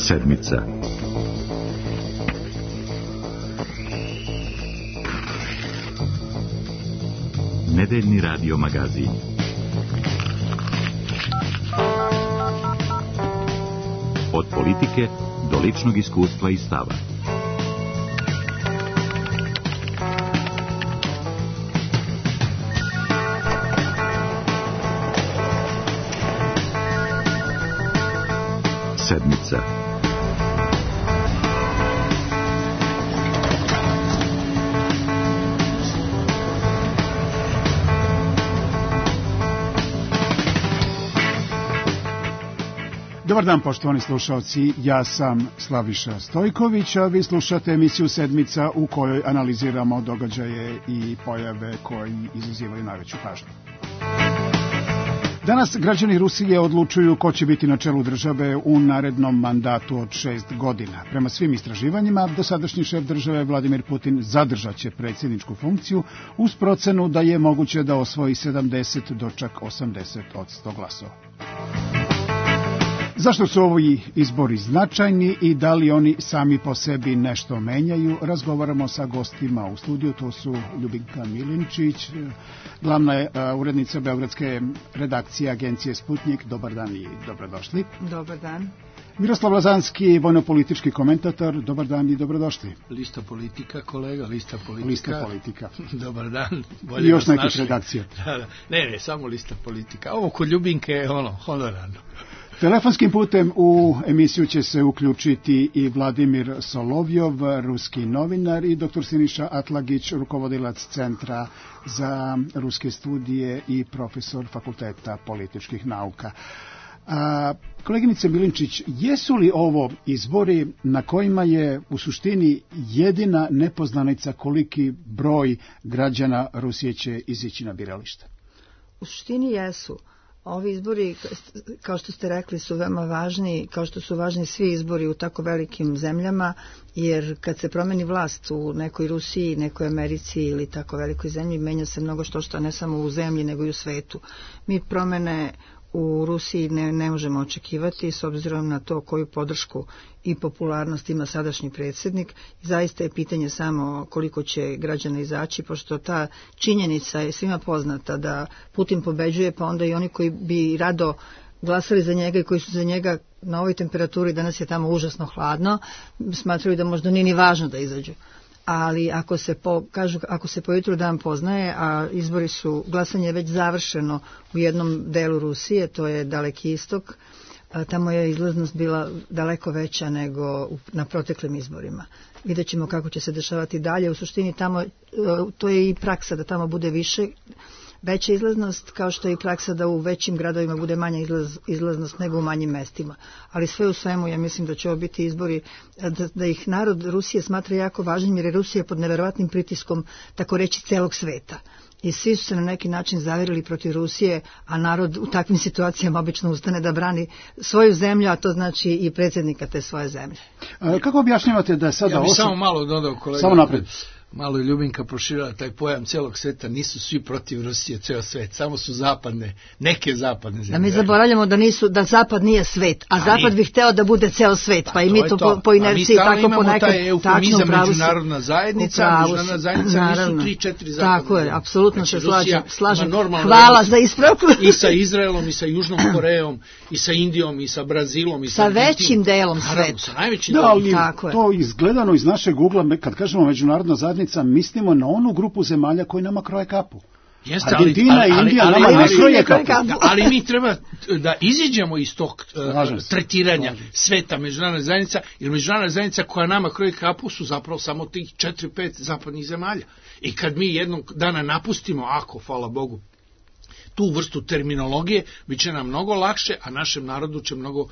Sedmica. Nedeljni radio magazin. Od politike do ličnog iskustva i stava. Sedmica. Dobar dan, poštovani slušalci, ja sam Slaviša Stojković, a vi slušate emisiju Sedmica u kojoj analiziramo događaje i pojave koji izazivaju najveću pažnju. Danas građani Rusije odlučuju ko će biti na čelu države u narednom mandatu od 6 godina. Prema svim istraživanjima, dosadašnji šef države Vladimir Putin zadržaće predsjedničku funkciju uz procenu da je moguće da osvoji 70 do čak 80% glasova. Zašto su ovi izbori značajni i da li oni sami po sebi nešto menjaju? Razgovaramo sa gostima u studiju, to su Ljubinka Milinčić, glavna je urednica beogradske redakcije agencije Sputnik. Dobar dan i dobrodošli. Dobar dan. Miroslav Lazanski, vojno-politički komentator. Dobar dan i dobrodošli. Lista politika, kolega, lista politika. Lista politika. Dobar dan. I još nekih redakcija. Ne, samo lista politika. Ovo kod Ljubinke je honorarno. Telefonskim putem u emisiju će se uključiti i Vladimir Solovjov, ruski novinar, i dr. Siniša Atlagić, rukovodilac Centra za ruske studije i profesor Fakulteta političkih nauka. Koleginice Milinčić, jesu li ovo izbori na kojima je u suštini jedina nepoznanica koliki broj građana Rusije će izići na biralište? U suštini jesu. Ovi izbori, kao što ste rekli, su veoma važni, kao što su važni svi izbori u tako velikim zemljama, jer kad se promeni vlast u nekoj Rusiji, nekoj Americi ili tako velikoj zemlji, menja se mnogo što ne samo u zemlji, nego i u svetu. Mi promene u Rusiji ne možemo očekivati s obzirom na to koju podršku i popularnost ima sadašnji predsjednik. Zaista je pitanje samo koliko će građana izaći, pošto ta činjenica je svima poznata da Putin pobeđuje, pa onda i oni koji bi rado glasali za njega i koji su za njega na ovoj temperaturi, danas je tamo užasno hladno, smatraju da možda nije ni važno da izađu. Ali ako se po jutru dan poznaje, a izbori su, glasanje je već završeno u jednom delu Rusije, to je Daleki istok, tamo je izlaznost bila daleko veća nego na proteklim izborima. Vidjet ćemo kako će se dešavati dalje. U suštini tamo, to je i praksa da tamo bude veća izlaznost, kao što je i praksa da u većim gradovima bude manja izlaznost nego u manjim mestima. Ali sve u svemu, ja mislim da će ovo biti izbori, da ih narod Rusije smatra jako važnim, jer je Rusija pod neverovatnim pritiskom, tako reći, celog sveta. I svi su se na neki način zavirili protiv Rusije, a narod u takvim situacijama obično ustane da brani svoju zemlju, a to znači i predsjednika te svoje zemlje. Kako objašnjavate da je sada... Ja bih samo malo dodao, kolega. Samo napred. Malo je Ljubinka proširila taj pojam celog sveta, nisu svi protiv Rusije, ceo svet, samo su neke zapadne zemlje. Da mi zaboravljamo da zapad nije svet, a zapad bi hteo da bude ceo svet, pa i mi to po inerciji tako ponekad... Taj eufemizam međunarodna zajednica nisu 3-4 zapadne. Tako je, apsolutno se slažem. Hvala za ispravku. I sa Izraelom, i sa Južnom Korejom, i sa Indijom, i sa Brazilom, i sa većim delom sveta. Sa najvećim delom. Da, to izgledano iz našeg ugla, kad kažemo međunarodna zajednica, mislimo na onu grupu zemalja koji nama kroje kapu. Jeste, Argentina i Indija nama ne kroje kapu. Ali mi treba da iziđemo iz tog tretiranja sveta međunarodna zajednica, jer međunarodna zajednica koja nama kroje kapu su zapravo samo tih 4-5 zapadnih zemalja. I kad mi jednog dana napustimo, hvala Bogu, tu vrstu terminologije, bit će nam mnogo lakše, a našem narodu će mnogo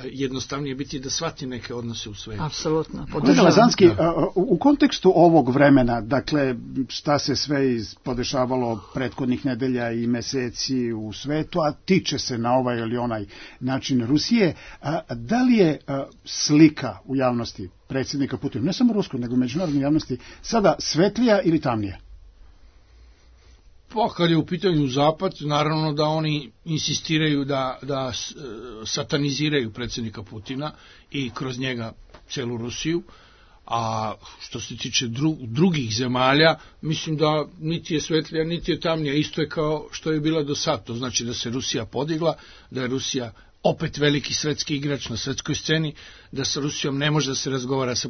jednostavnije biti da shvati neke odnose u svetu. Apsolutno. Kolega Lazanski, u kontekstu ovog vremena, dakle, šta se sve podešavalo prethodnih nedelja i meseci u svetu, a tiče se na ovaj ili onaj način Rusije, da li je slika u javnosti predsjednika Putina, ne samo ruskoj, nego međunarodnoj javnosti, sada svetlija ili tamnija? Pa kad je u pitanju Zapad, naravno da oni insistiraju da sataniziraju predsjednika Putina i kroz njega celu Rusiju, a što se tiče drugih zemalja, mislim da niti je svetlija, niti je tamnija, isto je kao što je bila do sad. To znači da se Rusija podigla, da je Rusija opet veliki svetski igrač na svetskoj sceni, da sa Rusijom ne može da se razgovara sa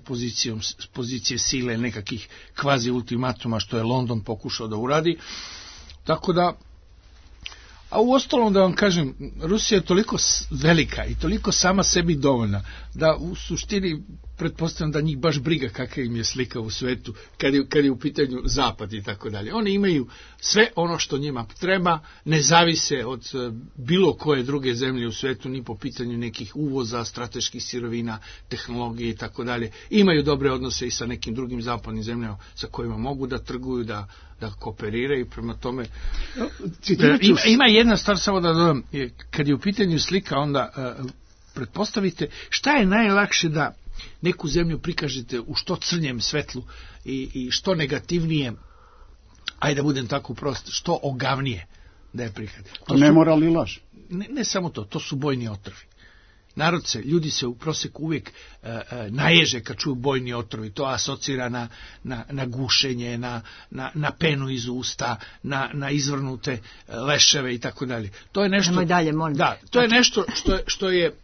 pozicije sile nekakvih kvazi ultimatuma, što je London pokušao da uradi. Tako da, a u ostalom da vam kažem, Rusija je toliko velika i toliko sama sebi dovoljna, da u suštini pretpostavljam da njih baš briga kakva im je slika u svetu kad je u pitanju Zapad i tako dalje. Oni imaju sve ono što njima treba, ne zavise od bilo koje druge zemlje u svetu, ni po pitanju nekih uvoza, strateških sirovina, tehnologije i tako dalje. Imaju dobre odnose i sa nekim drugim zapadnim zemljama sa kojima mogu da trguju, da kooperiraju, prema tome. Ima jedna stvar, samo da dodam, kad je u pitanju slika, onda pretpostavite šta je najlakše da neku zemlju prikažete u što crnjem svetlu i što negativnije, ajde da budem tako prost, što ogavnije da je prikažete. To ne mora li laž? Ne samo to su bojni otrovi. Ljudi se u proseku uvijek naježe kad čuju bojni otrovi, to asocira na gušenje, na penu iz usta, na izvrnute leševe i tako dalje. To je nešto, to je nešto što je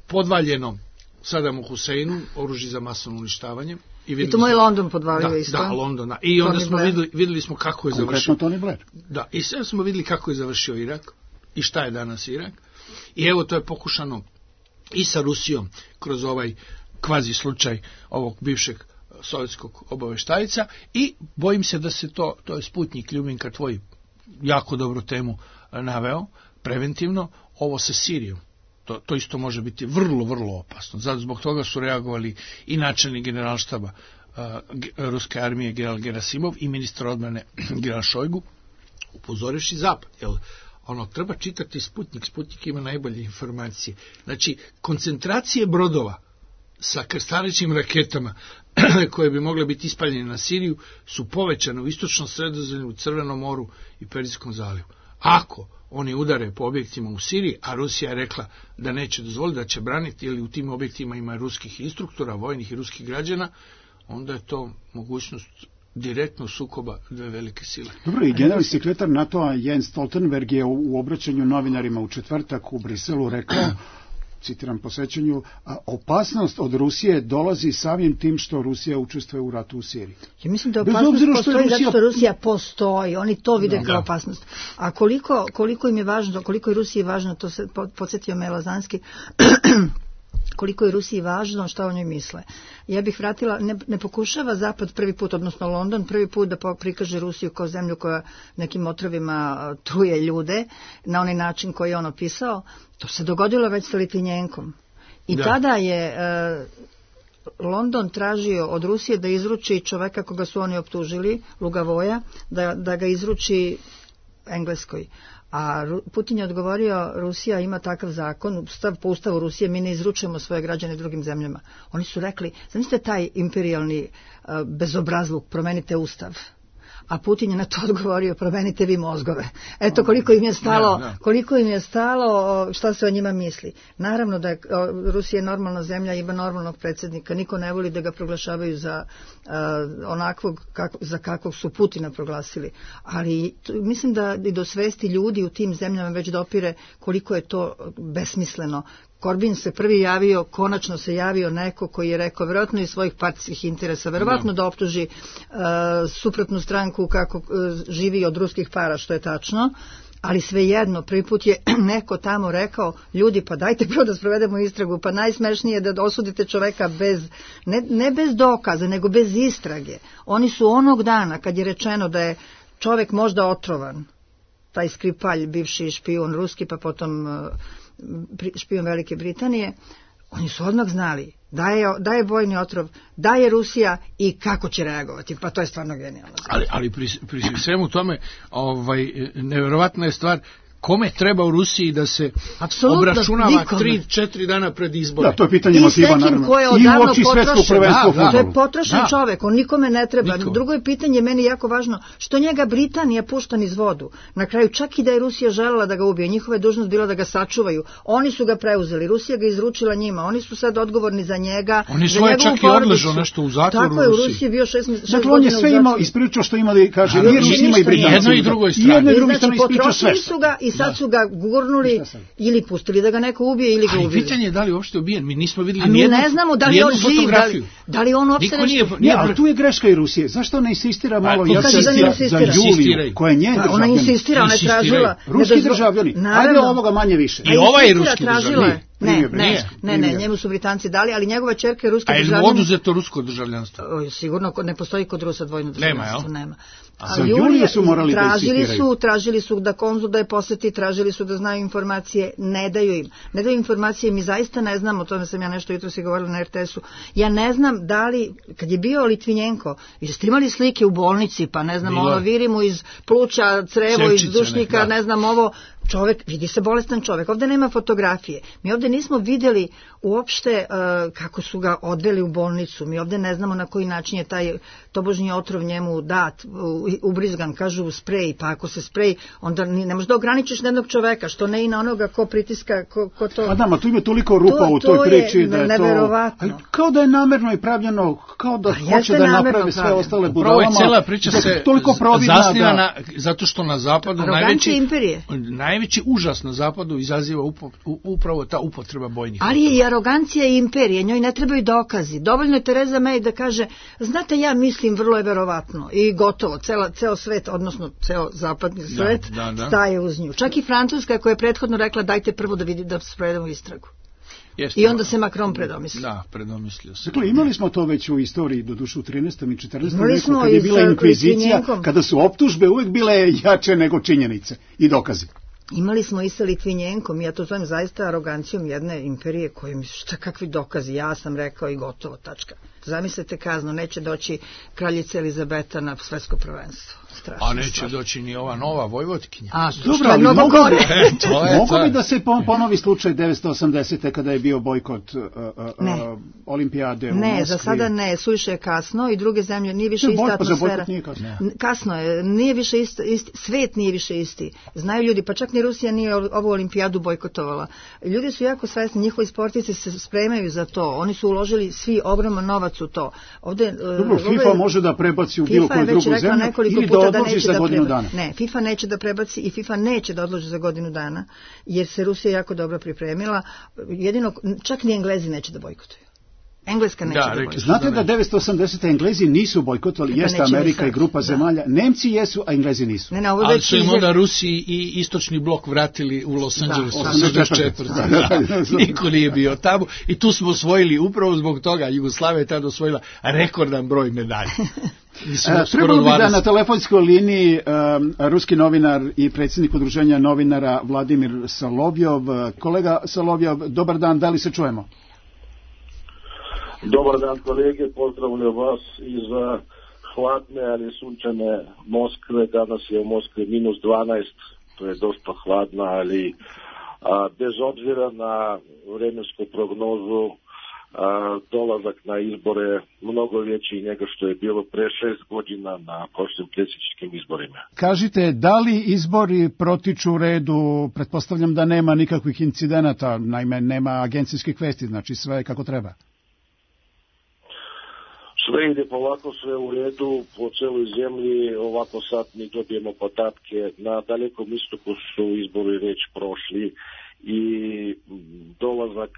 podvaljeno Sadamu Huseinu, oružje za masovno uništavanje. I to moj London podvalio isto. Da, Londona. I onda smo vidjeli smo kako je završio. Tony Blair. Da, i sve smo vidjeli kako je završio Irak i šta je danas Irak. I evo, to je pokušano i sa Rusijom kroz ovaj kvazi slučaj ovog bivšeg sovjetskog obaveštajca, i bojim se da se to je Sputnik, Ljubinka, tvoj jako dobru temu naveo, preventivno, ovo sa Sirijom. To isto može biti vrlo, vrlo opasno. Zato zbog toga su reagovali i načelnik generalštaba ruske armije general Gerasimov i ministar odbrane general Šojgu, upozorivši Zapad. Treba čitati Sputnik ima najbolje informacije. Znači, koncentracije brodova sa krstarećim raketama koje bi mogle biti ispaljene na Siriju su povećane u istočnom Sredozemlju, u Crvenom moru i Perzijskom zalivu. Ako oni udare po objektima u Siriji, a Rusija je rekla da neće dozvoliti, da će braniti, ili u tim objektima ima ruskih instruktora, vojnih i ruskih građana, onda je to mogućnost direktno sukoba dve velike sile. Dobro, i generalni sekretar NATO-a Jens Stoltenberg je u obraćanju novinarima u četvrtak u Briselu rekao, citiram po sećanju, opasnost od Rusije dolazi samim tim što Rusija učestvuje u ratu u Siriji. Ja mislim da opasnost postoji zato što Rusija postoji, oni to vide kao opasnost. A koliko im je važno, koliko je Rusiji važno, to se podsjetio me Lazanski, koliko je Rusiji važno, šta o njoj misle. Ja bih vratila, ne pokušava Zapad prvi put, odnosno London, prvi put da prikaže Rusiju kao zemlju koja nekim otrovima truje ljude na onaj način koji je on opisao. To se dogodilo već sa Litvinjenkom. I tada je London tražio od Rusije da izruči čoveka koga su oni optužili, Lugavoja, da ga izruči Engleskoj. A Putin je odgovorio, Rusija ima takav zakon, po ustavu Rusije mi ne izručujemo svoje građane drugim zemljama. Oni su rekli, zamislite taj imperijalni bezobrazluk, promenite ustav. A Putin je na to odgovorio, promenite vi mozgove. Eto koliko im je stalo šta se o njima misli. Naravno da je Rusija normalna zemlja, ima normalnog predsjednika, niko ne voli da ga proglašavaju za onakvog za kakvog su Putina proglasili. Ali mislim da i do svesti ljudi u tim zemljama već dopire koliko je to besmisleno. Korbin se prvi javio, konačno se javio neko koji je rekao, vjerojatno iz svojih partijskih interesa, vjerojatno da optuži suprotnu stranku kako živi od ruskih para, što je tačno, ali svejedno, prvi put je neko tamo rekao, ljudi, pa dajte prvo da sprovedemo istragu, pa najsmešnije je da osudite čoveka ne bez dokaza, nego bez istrage. Oni su onog dana, kad je rečeno da je čovek možda otrovan, taj Skripalj, bivši špijun ruski, pa potom špijun Velike Britanije, oni su odmah znali da je vojni otrov, da je Rusija i kako će reagovati. Pa to je stvarno genijalno. Ali pri svemu tome nevjerovatna je stvar kome treba u Rusiji da se obračunava 3-4 dana pred izbore. Da, to je pitanje motiva, naravno. I u oči svetskog prvenstva u fudbalu. To je potrošen čovek, on nikome ne treba. Drugo je pitanje, meni jako važno, što njega Britanija pušta niz vodu. Na kraju, čak i da je Rusija želela da ga ubije, njihova je dužnost bila da ga sačuvaju. Oni su ga preuzeli, Rusija ga izručila njima, oni su sad odgovorni za njega. Oni svoje čak i odležu nešto u zatvoru u Rusiji. Tako je, u Rusiji bio 6 godina. Dakle, on je sve imao, ispričao što imali, kaže, i Rusima i Britanci. Jedno i drugoj strani. Znači, potrošili su ga i sad su ga gurnuli ili pustili da ga neko ubije ili ga ubili. Ali pitanje je da li uopšte ubijen, mi nismo vidjeli nijednu fotografiju. A mi ne znamo da li on živ, da li on uopšte nešto... Ne, ali tu je greška i Rusije. Zašto ne insistira malo za Juliju, koja je njen državljanin? Ona insistira, ona je tražila... Ruski državljani, ajde ovoga manje više. I ovaj je ruski državljanin. Ne, njemu su Britanci dali, ali njegova ćerka je ruski državljanin. A je li oduzeto rusko državljanstvo? Sigurno, ne postoji kod Rusa dvojno državljanstvo, nema. Za Juliju su morali da insistiraju. Tražili su da konzul da je poseti, tražili su da znaju informacije, ne daju im. Ne daju informacije, mi zaista ne znamo, o tome sam ja nešto jutro si govorila na RTS-u, ja ne znam da li, kad je bio Litvinjenko, jeste imali slike u bolnici, pa ne znam, ono viri mu iz pluća, crevo, iz dušnika, ne znam, ovo, čovek, vidi se bolestan čovek, ovde nema fotografije. Mi ovde nismo vidjeli uopšte kako su ga odveli u bolnicu, mi ovde ne znamo na koji način je taj tobožnji otrov njemu dat, ubrizgan, kažu sprej, pa ako se sprej, onda ne možeš da ograničiš na jednog čoveka, što ne i na onoga ko pritiska, ko to... A da, tu ima toliko rupa u toj priči da je to... Neverovatno. Kao da je namerno i pravljeno, kao da hoće da napravi sve ostale budalama. Ovo je cela priča se zasniva zato što na zapadu najveći užas na zapadu izaziva upravo ta upotreba bojnih. Ali je i arogancija i imperije, njoj ne trebaju dokazi. Dovoljno je Tereza May da kaže, znate, ja mislim, vrlo je verovatno i gotovo, ceo svet, odnosno ceo zapadni svet staje uz nju. Čak i Francuska koja je prethodno rekla dajte prvo da vidi da sprovedemo istragu. I onda se Macron predomislio. Da, predomislio se. Dakle, imali smo to već u istoriji, doduše u 13. i 14. veku, kad je bila inkvizicija, kada su optužbe uvek bile jače nego činjenice i dokazi. Imali smo i sa Litvinjenkom, ja to zovem zaista arogancijom jedne imperije koje mi šta kakvi dokazi, ja sam rekao i gotovo, tačka. Zamislite kaznu, neće doći kraljica Elizabeta na svetsko prvenstvo. Strašno, a neće doći ni ova nova Vojvodkinja. Dobro, ali mogu bi da se ponovi slučaj 1980. kada je bio bojkot olimpijade u Moskvi? Ne, za sada ne, suviše je kasno i druge zemlje, nije više ista atmosfera. Kasno je, nije više isti, svet nije više isti. Znaju ljudi, pa čak ni Rusija nije ovu olimpijadu bojkotovala. Ljudi su jako svesni, njihovi sportisti se spremaju za to, oni su uložili svi ogroman novac u to. Dobro, FIFA može da prebaci u bilo koju drugu zemlju ili da odloži za godinu dana. Ne, FIFA neće da prebaci i FIFA neće da odloži za godinu dana, jer se Rusija jako dobro pripremila. Jedino, čak ni Englezi neće da bojkotuju. Engleska neće da bojkotuje. Znate da 1980. Englezi nisu bojkotovali, jeste Amerika i grupa zemalja. Nemci jesu, a Englezi nisu. Ali su im onda Rusi i istočni blok vratili u Los Angeles 84. Niko nije bio tamo i tu smo osvojili, upravo zbog toga, Jugoslavija je tada osvojila rekordan broj medalja. Trebalo bi da na telefonskoj liniji ruski novinar i predsjednik udruženja novinara Vladimir Solovjov. Kolega Solovjov, dobar dan, da li se čujemo? Dobar dan kolege, pozdravljam vas iz hladne, ali sunčane Moskve. Danas je u Moskvi -12, to je dosta hladna, ali bez obzira na vremensku prognozu, dolazak na izbore mnogo veći nego što je bilo pre 6 godina na prošlim predsjedničkim izborima. Kažite, da li izbori protiču u redu? Pretpostavljam da nema nikakvih incidenata, naime nema agencijskih vesti, znači sve je kako treba. Sve ide polako, sve u redu, po celoj zemlji, ovako sad mi dobijemo podatke, na dalekom istoku su izbori već prošli i dolazak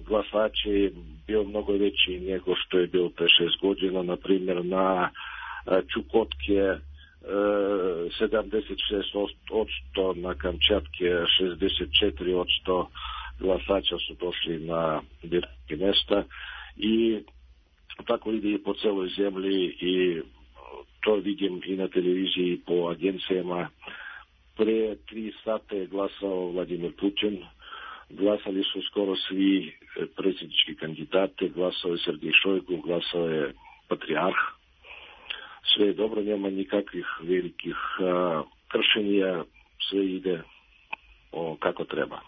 glasača je bio mnogo veći nego što je bilo pre 6 godina, na primjer na Čukotke 76%, na Kamčatke 64% glasača su došli na biračka mesta i tako ide i po celoj zemlji i to vidim i na televiziji i po agencijama. Pre 3 sata je glasao Vladimir Putin, glasali su skoro svi predsjednički kandidati, glasao je Sergej Šojgu, glasao je Patriarh. Sve je dobro, nema nikakvih velikih kršenja, sve ide kako treba.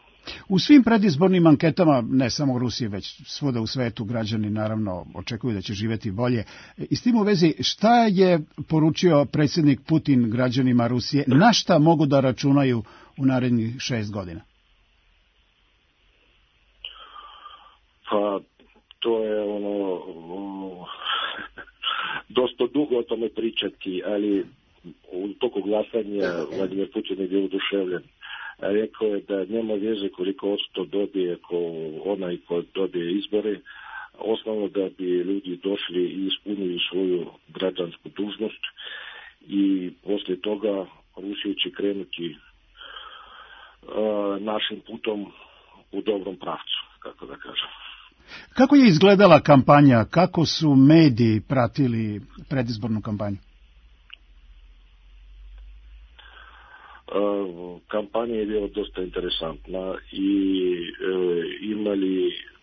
U svim predizbornim anketama, ne samo u Rusiji, već svuda u svetu, građani naravno očekuju da će živjeti bolje. I s tim u vezi, šta je poručio predsjednik Putin građanima Rusije, na šta mogu da računaju u narednih 6 godina? Pa, to je dosta dugo o tome pričati, ali u toku glasanja Vladimir Putin je bio oduševljen. Rekao je da nema veze koliko odsto dobije onaj ko dobije izbore, osnovno da bi ljudi došli i ispunili svoju građansku dužnost i poslije toga Rusija će krenuti našim putom u dobrom pravcu, kako da kažem. Kako je izgledala kampanja, kako su mediji pratili predizbornu kampanju? Kampanja je bila dosta interesantna i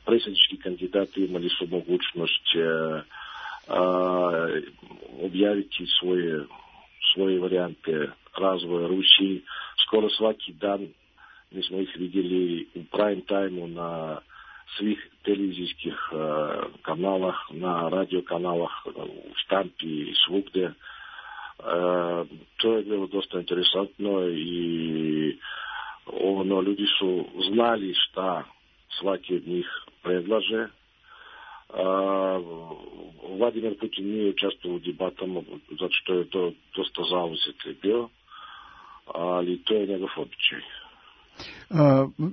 predsjednički kandidati imali su mogućnost objaviti svoje varijante razvoja Rusiji. Skoro svaki dan mi smo ih vidjeli u prime time-u na svih televizijskih kanalah, na radio kanalah, u štampi i svugdje. To je bilo dosta interesantno i ljudi su znali šta svaki od njih predlaže. Vladimir Putin nije učestvovao u debatama zato što je to dosta zauzet bio, ali to je njegov običaj.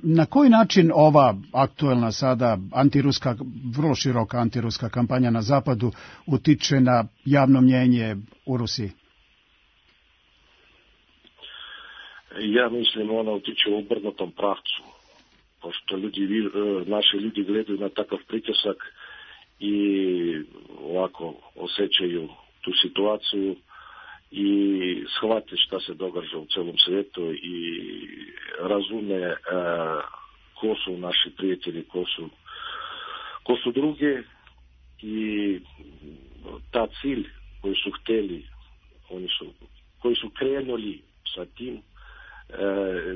Na koji način ova aktuelna sada antiruska, vrlo široka antiruska kampanja na zapadu utiče na javno mnjenje u Rusiji? Ja mislim ona utiče u obrnutom pravcu, pošto naši ljudi gledaju na takav pritisak i ovako osjećaju tu situaciju i shvate šta se događa u celom svijetu i razume ko su naši prijatelji, ko su druge i ta cilj koji su htjeli, koji su krenuli sa tim,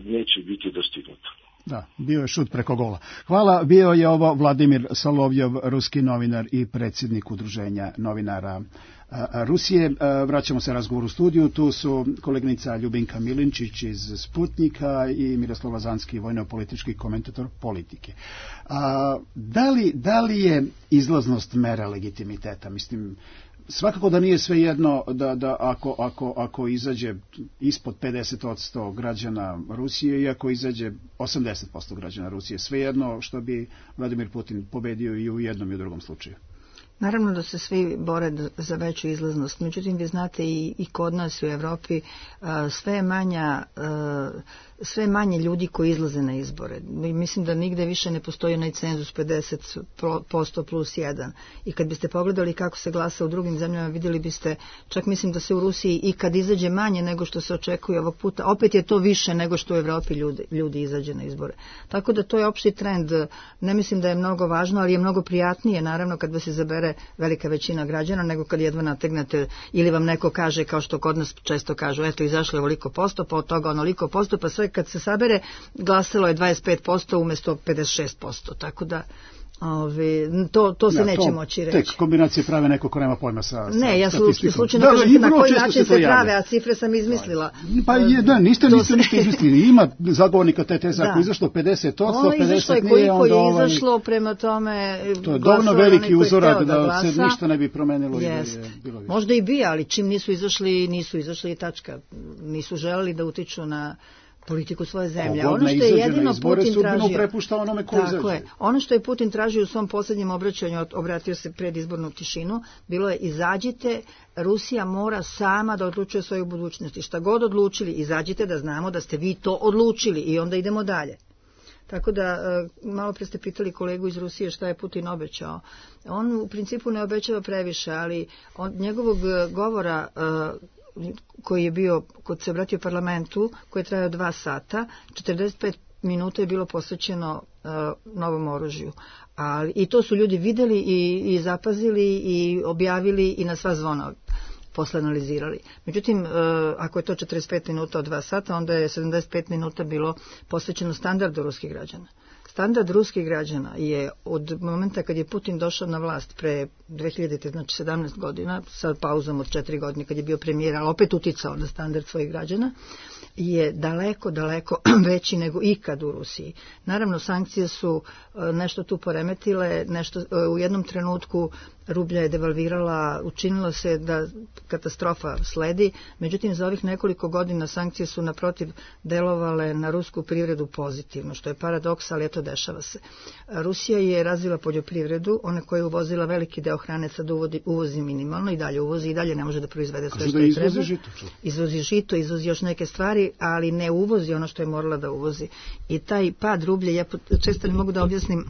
neće biti dostignuto. Da, bio je šut preko gola. Hvala, bio je ovo Vladimir Solovjov, ruski novinar i predsjednik Udruženja novinara Rusije. Vraćamo se razgovoru u studiju, tu su koleginica Ljubinka Milinčić iz Sputnika i Miroslav Lazanski, vojno-politički komentator Politike. Da li je izlaznost mera legitimiteta? Mislim, svakako da nije svejedno da ako izađe ispod 50% građana Rusije i ako izađe 80% građana Rusije, svejedno što bi Vladimir Putin pobedio i u jednom i u drugom slučaju. Naravno da se svi bore za veću izlaznost, međutim vi znate i kod nas u Evropi sve manje ljudi koji izlaze na izbore. Mislim da nigde više ne postoji onaj cenzus 50% plus 1. I kad biste pogledali kako se glasa u drugim zemljama, vidjeli biste, čak mislim da se u Rusiji i kad izađe manje nego što se očekuje ovog puta, opet je to više nego što u Evropi ljudi izađe na izbore. Tako da to je opšti trend. Ne mislim da je mnogo važno, ali je mnogo prijatnije naravno kad vas izabere velika većina građana nego kad jedva nategnete ili vam neko kaže, kao što kod nas često kažu, eto izašlo je ovoliko posto, pa od toga onoliko posto, pa sve kad se sabere glasilo je 25% umjesto 56%, tako da to se neće moći reći. Tek kombinacije prave neko ko nema pojma sa ne, ja slučajno kažem na koji način se prave, a cifre sam izmislila. Pa niste ništa izmislili. Ima zagovornika te teze, ako izašlo 50%, 50 nije, onda je izašlo, prema tome to je dovoljno veliki uzorak da se ništa ne bi promenilo. Možda i bi, ali čim nisu izašli i tačka. Nisu želeli da utiču na politiku svoje zemlje. Ono što je jedino Putin tražio, ono što je Putin tražio u svom posljednjem obraćanju, obratio se predizbornu tišinu, bilo je izađite, Rusija mora sama da odlučuje o svojoj budućnosti. Šta god odlučili, izađite da znamo da ste vi to odlučili i onda idemo dalje. Tako da, malo pre ste pitali kolegu iz Rusije šta je Putin obećao. On u principu ne obećava previše, ali njegovog govora koji je bio, kod se obratio parlamentu, koji je trajao 2 sata, 45 minuta je bilo posvećeno novom oružju. I to su ljudi vidjeli i zapazili i objavili i na sva zvona. posle analizirali. Međutim, ako je to 45 minuta od 2 sata, onda je 75 minuta bilo posvećeno standardu ruskih građana. Standard ruskih građana je od momenta kad je Putin došao na vlast pre 2000, znači 17 godina, sa pauzom od 4 godine kad je bio premijer, ali opet uticao na standard svojih građana, je daleko, daleko veći nego ikad u Rusiji. Naravno, sankcije su nešto tu poremetile, nešto u jednom trenutku rublja je devalvirala, učinilo se da katastrofa sledi, međutim za ovih nekoliko godina sankcije su naprotiv delovale na rusku privredu pozitivno, što je paradoks, ali eto dešava se. Rusija je razvila poljoprivredu, ona koja je uvozila veliki deo hrane, sad uvozi minimalno i dalje uvozi i dalje ne može da proizvede sve što je treba. Izvozi žito, izvozi još neke stvari, ali ne uvozi ono što je morala da uvozi. I taj pad rublja, ja često ne mogu da objasnim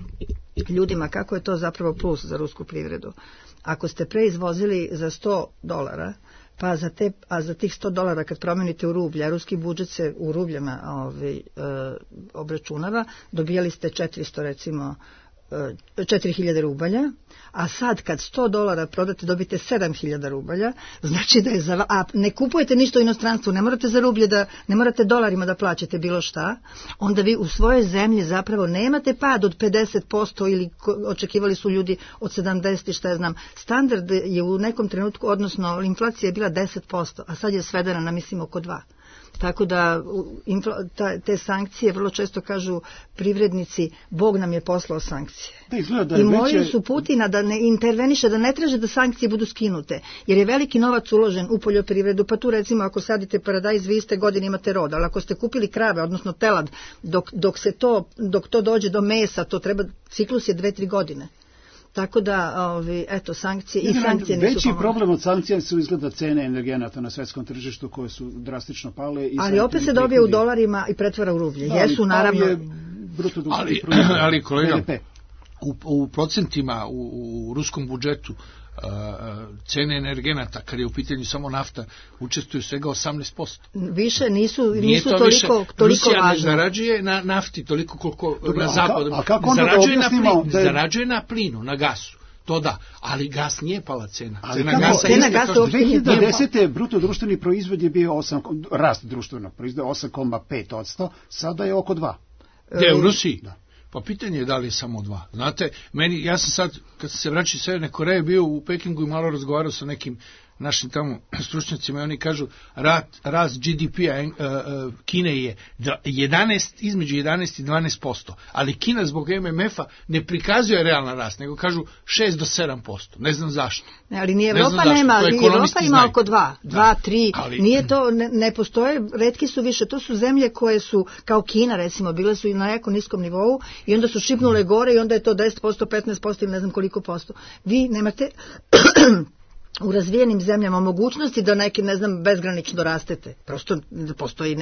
ljudima kako je to zapravo plus za rusku privredu. Ako ste preizvozili za $100, pa za tih $100 kad promenite u rublja, ruski budžet se u rubljama obračunava, dobijali ste 400 recimo 4.000 rubalja, a sad kad $100 prodate dobite 7.000 rubalja, znači da je a ne kupujete ništa u inostranstvu, ne morate za rublje ne morate dolarima da plaćate bilo šta, onda vi u svojoj zemlji zapravo nemate pad od 50% ili očekivali su ljudi od 70, šta ja znam. Standard je u nekom trenutku, odnosno inflacija je bila 10%, a sad je svedena na mislim oko 2%. Tako da te sankcije vrlo često kažu privrednici, Bog nam je poslao sankcije. I molili su Putina da ne interveniše, da ne traže da sankcije budu skinute, jer je veliki novac uložen u poljoprivredu, pa tu recimo ako sadite paradajz, vi iste godine imate rod, ali ako ste kupili krave, odnosno telad, dok to dođe do mesa, to treba, ciklus je 2-3 godine. Tako da, eto, sankcije i sankcije nisu veći problem od sankcija su izgleda cene energenata na svetskom tržištu koje su drastično pale. Ali opet se dobije u dolarima i pretvara u rublje. Jesu, naravno. Ali kolega, u procentima u ruskom budžetu cene energenata, kad je u pitanju samo nafta, učestvuju svega 18%. Više nisu toliko Rusija važno. ne zarađuje na nafti toliko koliko na zapadu. Zarađuje na plinu, na gasu. To da, ali gas nije pala cena. Cena gasa je 2010. bruto društveni proizvod je bio rast društvenog proizvoda 8,5%, sada je oko 2%. Gde, u Rusiji? Da. Pa pitanje je da li je samo 2. Znate, ja sam sad, kad sam se vraćao iz Severne Koreje, bio u Pekingu i malo razgovarao sa nekim našim tamo stručnjacima i oni kažu rast GDP-a Kine je između 11 i 12%, ali Kina zbog MMF-a ne prikazuje realan rast, nego kažu 6 do 7%. Ne znam zašto. Ali ni Evropa nema, Evropa ima oko 2, 3, nije to, ne postoje, retki su više, to su zemlje koje su, kao Kina recimo, bile su i na jako niskom nivou i onda su šipnule gore i onda je to 10%, 15% ili ne znam koliko posto. Vi nemate u razvijenim zemljama mogućnosti da neki, ne znam, bezgranično rastete. Prosto postoji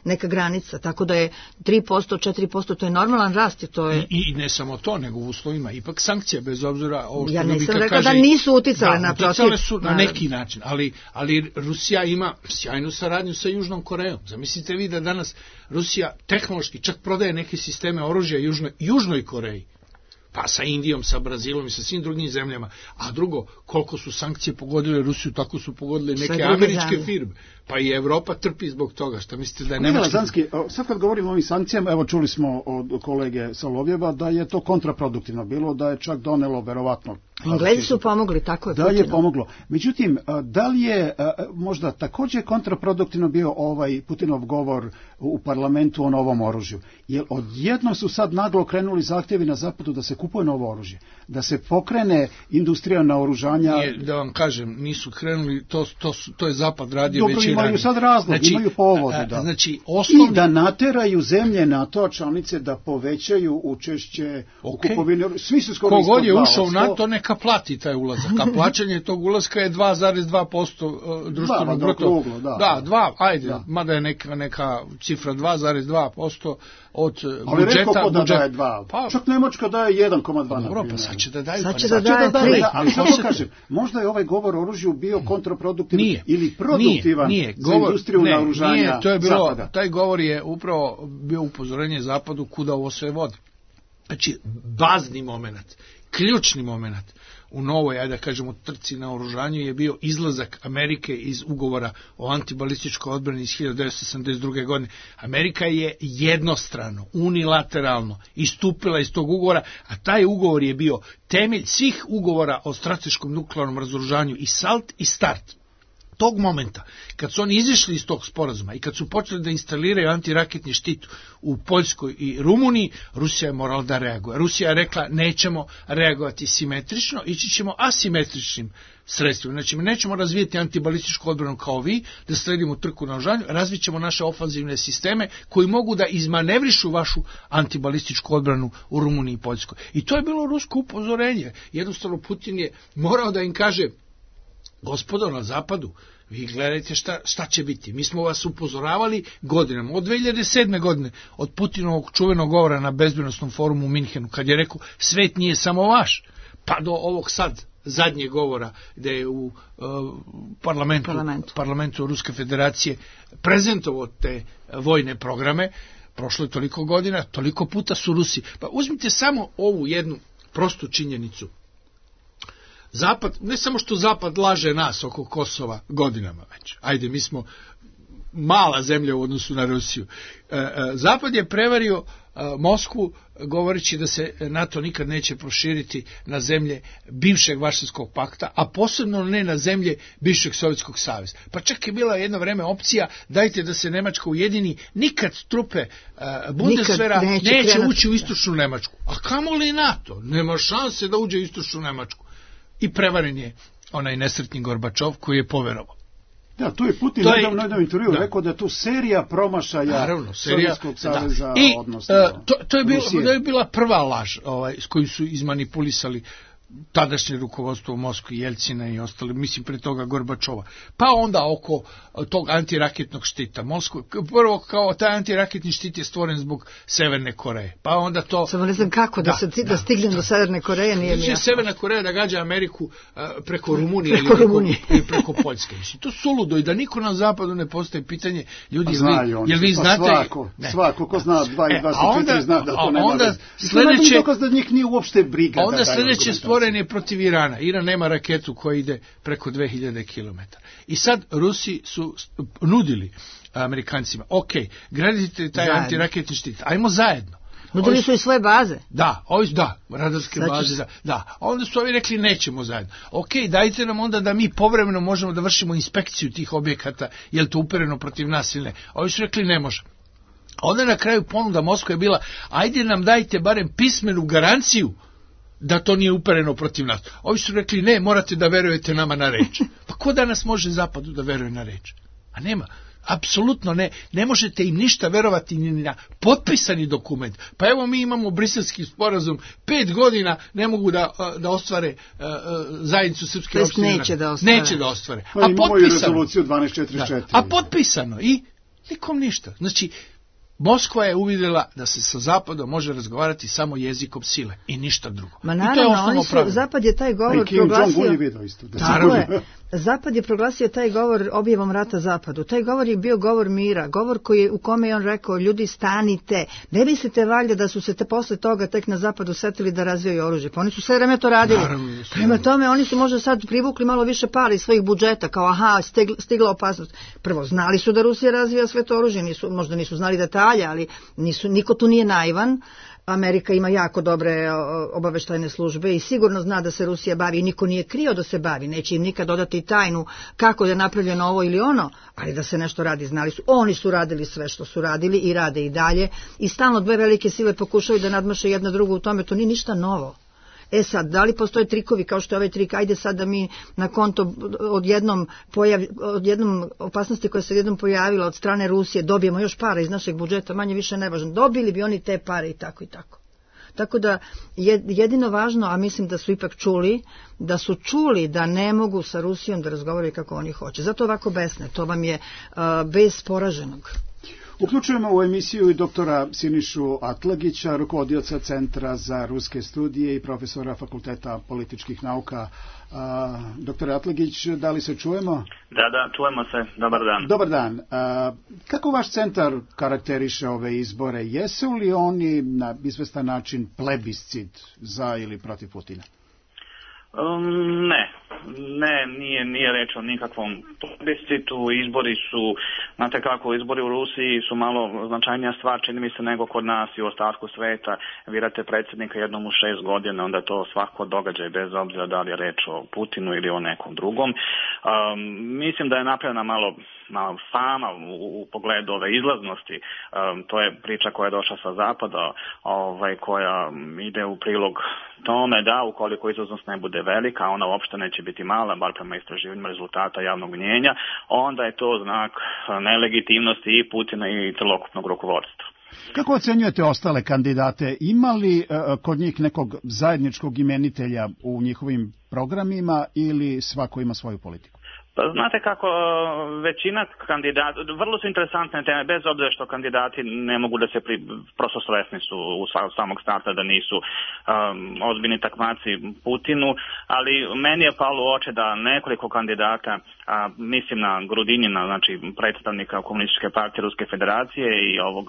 neka granica, tako da je 3%, 4%, to je normalan rast. I ne samo to, nego u uslovima ipak sankcija, bez obzira ovo što ja nisam rekao da nisu uticale na protiv. Uticale su na neki način, ali Rusija ima sjajnu saradnju sa Južnom Korejom. Zamislite vi da danas Rusija tehnološki čak prodaje neke sisteme oružja Južnoj Koreji. Pa sa Indijom, sa Brazilom i sa svim drugim zemljama. A drugo, koliko su sankcije pogodile Rusiju, tako su pogodile neke američke firme. Pa i Evropa trpi zbog toga. Šta mislite da je Nemačka? Sad kad govorimo o ovim sankcijama, evo čuli smo od kolege Solovjeva da je to kontraproduktivno bilo, da je čak donelo verovatno. Englezi su pomogli, tako je. Da je pomoglo. Međutim, da li je možda također kontraproduktivno bio ovaj Putinov govor u parlamentu o novom oružju? Jer odjednom su sad naglo krenuli zahtjevi na zapadu da se kupuje novo oružje, da se pokrene industrija naoružanja. Da vam kažem, nisu krenuli, to je zapad radio već i imaju sad razlog, imaju povode. I da nateraju zemlje NATO članice da povećaju učešće u kupovini. Svi su skoro kogod je ušao u NATO, neka plati taj ulazak. A plaćanje tog ulaska je 2,2% društvenog bruto. Da, 2, ajde, mada je neka cifra 2,2% od budžeta. Ali rekao ko da daje 2. Čak Nemačka daje 1,2. Dobro, pa sad će da daju. Sad će da daje 3. Ali što kažem, možda je ovaj govor o oružju bio kontraproduktivan ili produktivan za industriju naoružanja. Nije, to je bilo, taj govor je upravo bio upozorenje Zapadu kuda ovo sve vodi. Znači, bazni moment, ključni moment. u novoj, ajde da kažemo, trci na oružanju je bio izlazak Amerike iz ugovora o antibalističkoj odbrani iz 1982. godine. Amerika je jednostrano, unilateralno istupila iz tog ugovora, a taj ugovor je bio temelj svih ugovora o strateškom nuklearnom razoružanju i SALT i START. Tog momenta, kad su oni izišli iz tog sporazuma i kad su počeli da instaliraju antiraketni štit u Poljskoj i Rumuniji, Rusija je morala da reaguje. Rusija je rekla nećemo reagovati simetrično, ići ćemo asimetričnim sredstvima. Znači, nećemo razvijeti antibalističku odbranu kao vi, da sledimo trku na oružanju, razvit ćemo naše ofanzivne sisteme koji mogu da izmanevrišu vašu antibalističku odbranu u Rumuniji i Poljskoj. I to je bilo rusko upozorenje. Jednostavno, Putin je morao da im kaže: gospodo na zapadu, vi gledajte šta će biti. Mi smo vas upozoravali godinama, od 2007. godine, od Putinovog čuvenog govora na bezbednosnom forumu u Minhenu, kad je rekao svet nije samo vaš, pa do ovog sad zadnjeg govora gde je u parlamentu Ruske federacije prezentovao te vojne programe. Prošlo je toliko godina, toliko puta su Rusi. Pa uzmite samo ovu jednu prostu činjenicu. Zapad, ne samo što Zapad laže nas oko Kosova godinama već, ajde, mi smo mala zemlja u odnosu na Rusiju. Zapad je prevario Moskvu govoreći da se NATO nikad neće proširiti na zemlje bivšeg Varšavskog pakta, a posebno ne na zemlje bivšeg Sovjetskog saveza. Pa čak je bila jedno vreme opcija, dajte da se Nemačka ujedini, nikad trupe Bundeswehra neće ući u istočnu Nemačku. A kamoli NATO? Nema šanse da uđe u istočnu Nemačku. I prevaren je onaj nesretni Gorbačov koji je poverovao. Da, tu je Putin nedavno jednom intervju rekao da je tu serija promašaja Sovjetskog saveza, odnosno to je bila prva laž s koju su izmanipulisali tadašnje rukovodstvo u Moskvi, Jelcina i ostali, mislim pre toga Gorbačova. Pa onda oko tog antiraketnog štita. Prvo kao taj antiraketni štit je stvoren zbog Severne Koreje. Pa onda to... Samo ne znam kako da stignem do Severne Koreje, nije mi jasno. Severna Koreja da gađa Ameriku preko Rumunije ili preko Poljske. Mislim, to suludo i da niko na zapadu ne postaje pitanje, ljudi, jel vi znate... Svako ko zna 2 i 2 su 4 zna da to nema veze. Sledeće... dokaz da njih nije uopšte briga. Onda sledeće stvoren je protiv Irana. Iran nema raketu koja ide preko 2000 km. I sad Rusi su nudili Amerikancima, ok, gradite taj antiraketni štit, ajmo zajedno. Nudili su i svoje baze. Da, radarske baze. Da. A onda su ovi rekli nećemo zajedno. Ok, dajte nam onda da mi povremeno možemo da vršimo inspekciju tih objekata, je li to upereno protiv nas ili ne. Ovi su rekli ne može. Onda na kraju ponuda Moskve je bila, ajde nam dajte barem pismenu garanciju da to nije upereno protiv nas. Ovi su rekli ne, morate da verujete nama na reč. Pa ko danas može zapadu da veruje na reč? A nema. Apsolutno ne. Ne možete im ništa verovati ni na potpisani dokument. Pa evo mi imamo briselski sporazum, 5 godina ne mogu da ostvare zajednicu srpske opštine. Neće da ostvare. Pa imamo i rezoluciju 1244. A potpisano i nikom ništa. Znači, Moskva je uvidjela da se sa Zapadom može razgovarati samo jezikom sile i ništa drugo. Ma naravno, Zapad je taj govor proglasio... Tako je. Zapad je proglasio taj govor objavom rata Zapadu. Taj govor je bio govor mira, govor u kome je on rekao, ljudi stanite, ne mislite valjda da su se posle toga tek na Zapadu setili da razvijaju oružje. Pa oni su sve vreme to radili. Prema tome, oni su možda sad privukli malo više para iz svojih budžeta, kao stigla opasnost. Prvo, znali su da Rusija razvija sve to oružje, možda nisu znali detalje, ali niko tu nije naivan. Amerika ima jako dobre obaveštajne službe i sigurno zna da se Rusija bavi i niko nije krio da se bavi, neće im nikad dodati tajnu kako je napravljeno ovo ili ono, ali da se nešto radi, znali su. Oni su radili sve što su radili i rade i dalje i stalno dve velike sile pokušaju da nadmaše jedna drugu u tome, to nije ništa novo. Sad, da li postoje trikovi kao što je ovaj trik, ajde sad da mi na konto odjednom opasnosti koja se odjednom pojavila od strane Rusije dobijemo još para iz našeg budžeta, manje više nevažno, dobili bi oni te pare i tako i tako. Tako da jedino važno, a mislim da su ipak čuli da ne mogu sa Rusijom da razgovaraju kako oni hoće. Zato ovako besne, to vam je bez poraženog. Uključujemo u emisiju i doktora Sinišu Atlagića, rukovodioca Centra za ruske studije i profesora Fakulteta političkih nauka. Doktore Atlagić, da li se čujemo? Da, čujemo se. Dobar dan. Dobar dan. Kako vaš centar karakteriše ove izbore? Jesu li oni na izvestan način plebiscit za ili protiv Putina? Ne, nije reč o nikakvom plebiscitu. Izbori su, znate kako, izbori u Rusiji su malo značajnija stvar, čini mi se, nego kod nas i u ostatku sveta. Birate predsjednika jednom u 6 godina, onda je to svako događaj, bez obzira da li je reč o Putinu ili o nekom drugom. Mislim da je napravljena malo fama u pogledu ove izlaznosti. To je priča koja je došla sa zapada, koja ide u prilog tome da ukoliko izlaznost ne bude velika, a ona uopšte neće biti mala, bar prema istraživanjima rezultata javnog mnjenja, onda je to znak nelegitimnosti i Putina i celokupnog rukovodstva. Kako ocenjujete ostale kandidate? Ima li kod njih nekog zajedničkog imenitelja u njihovim programima ili svako ima svoju politiku? Znate kako, većina kandidata, vrlo su interesantne teme, bez obzira što kandidati ne mogu da se, prosto svesni su u samog starta da nisu ozbiljni takmaci Putinu, ali meni je palo u oči da nekoliko kandidata, mislim na Grudinjina, znači predstavnika Komunističke partije Ruske federacije i ovog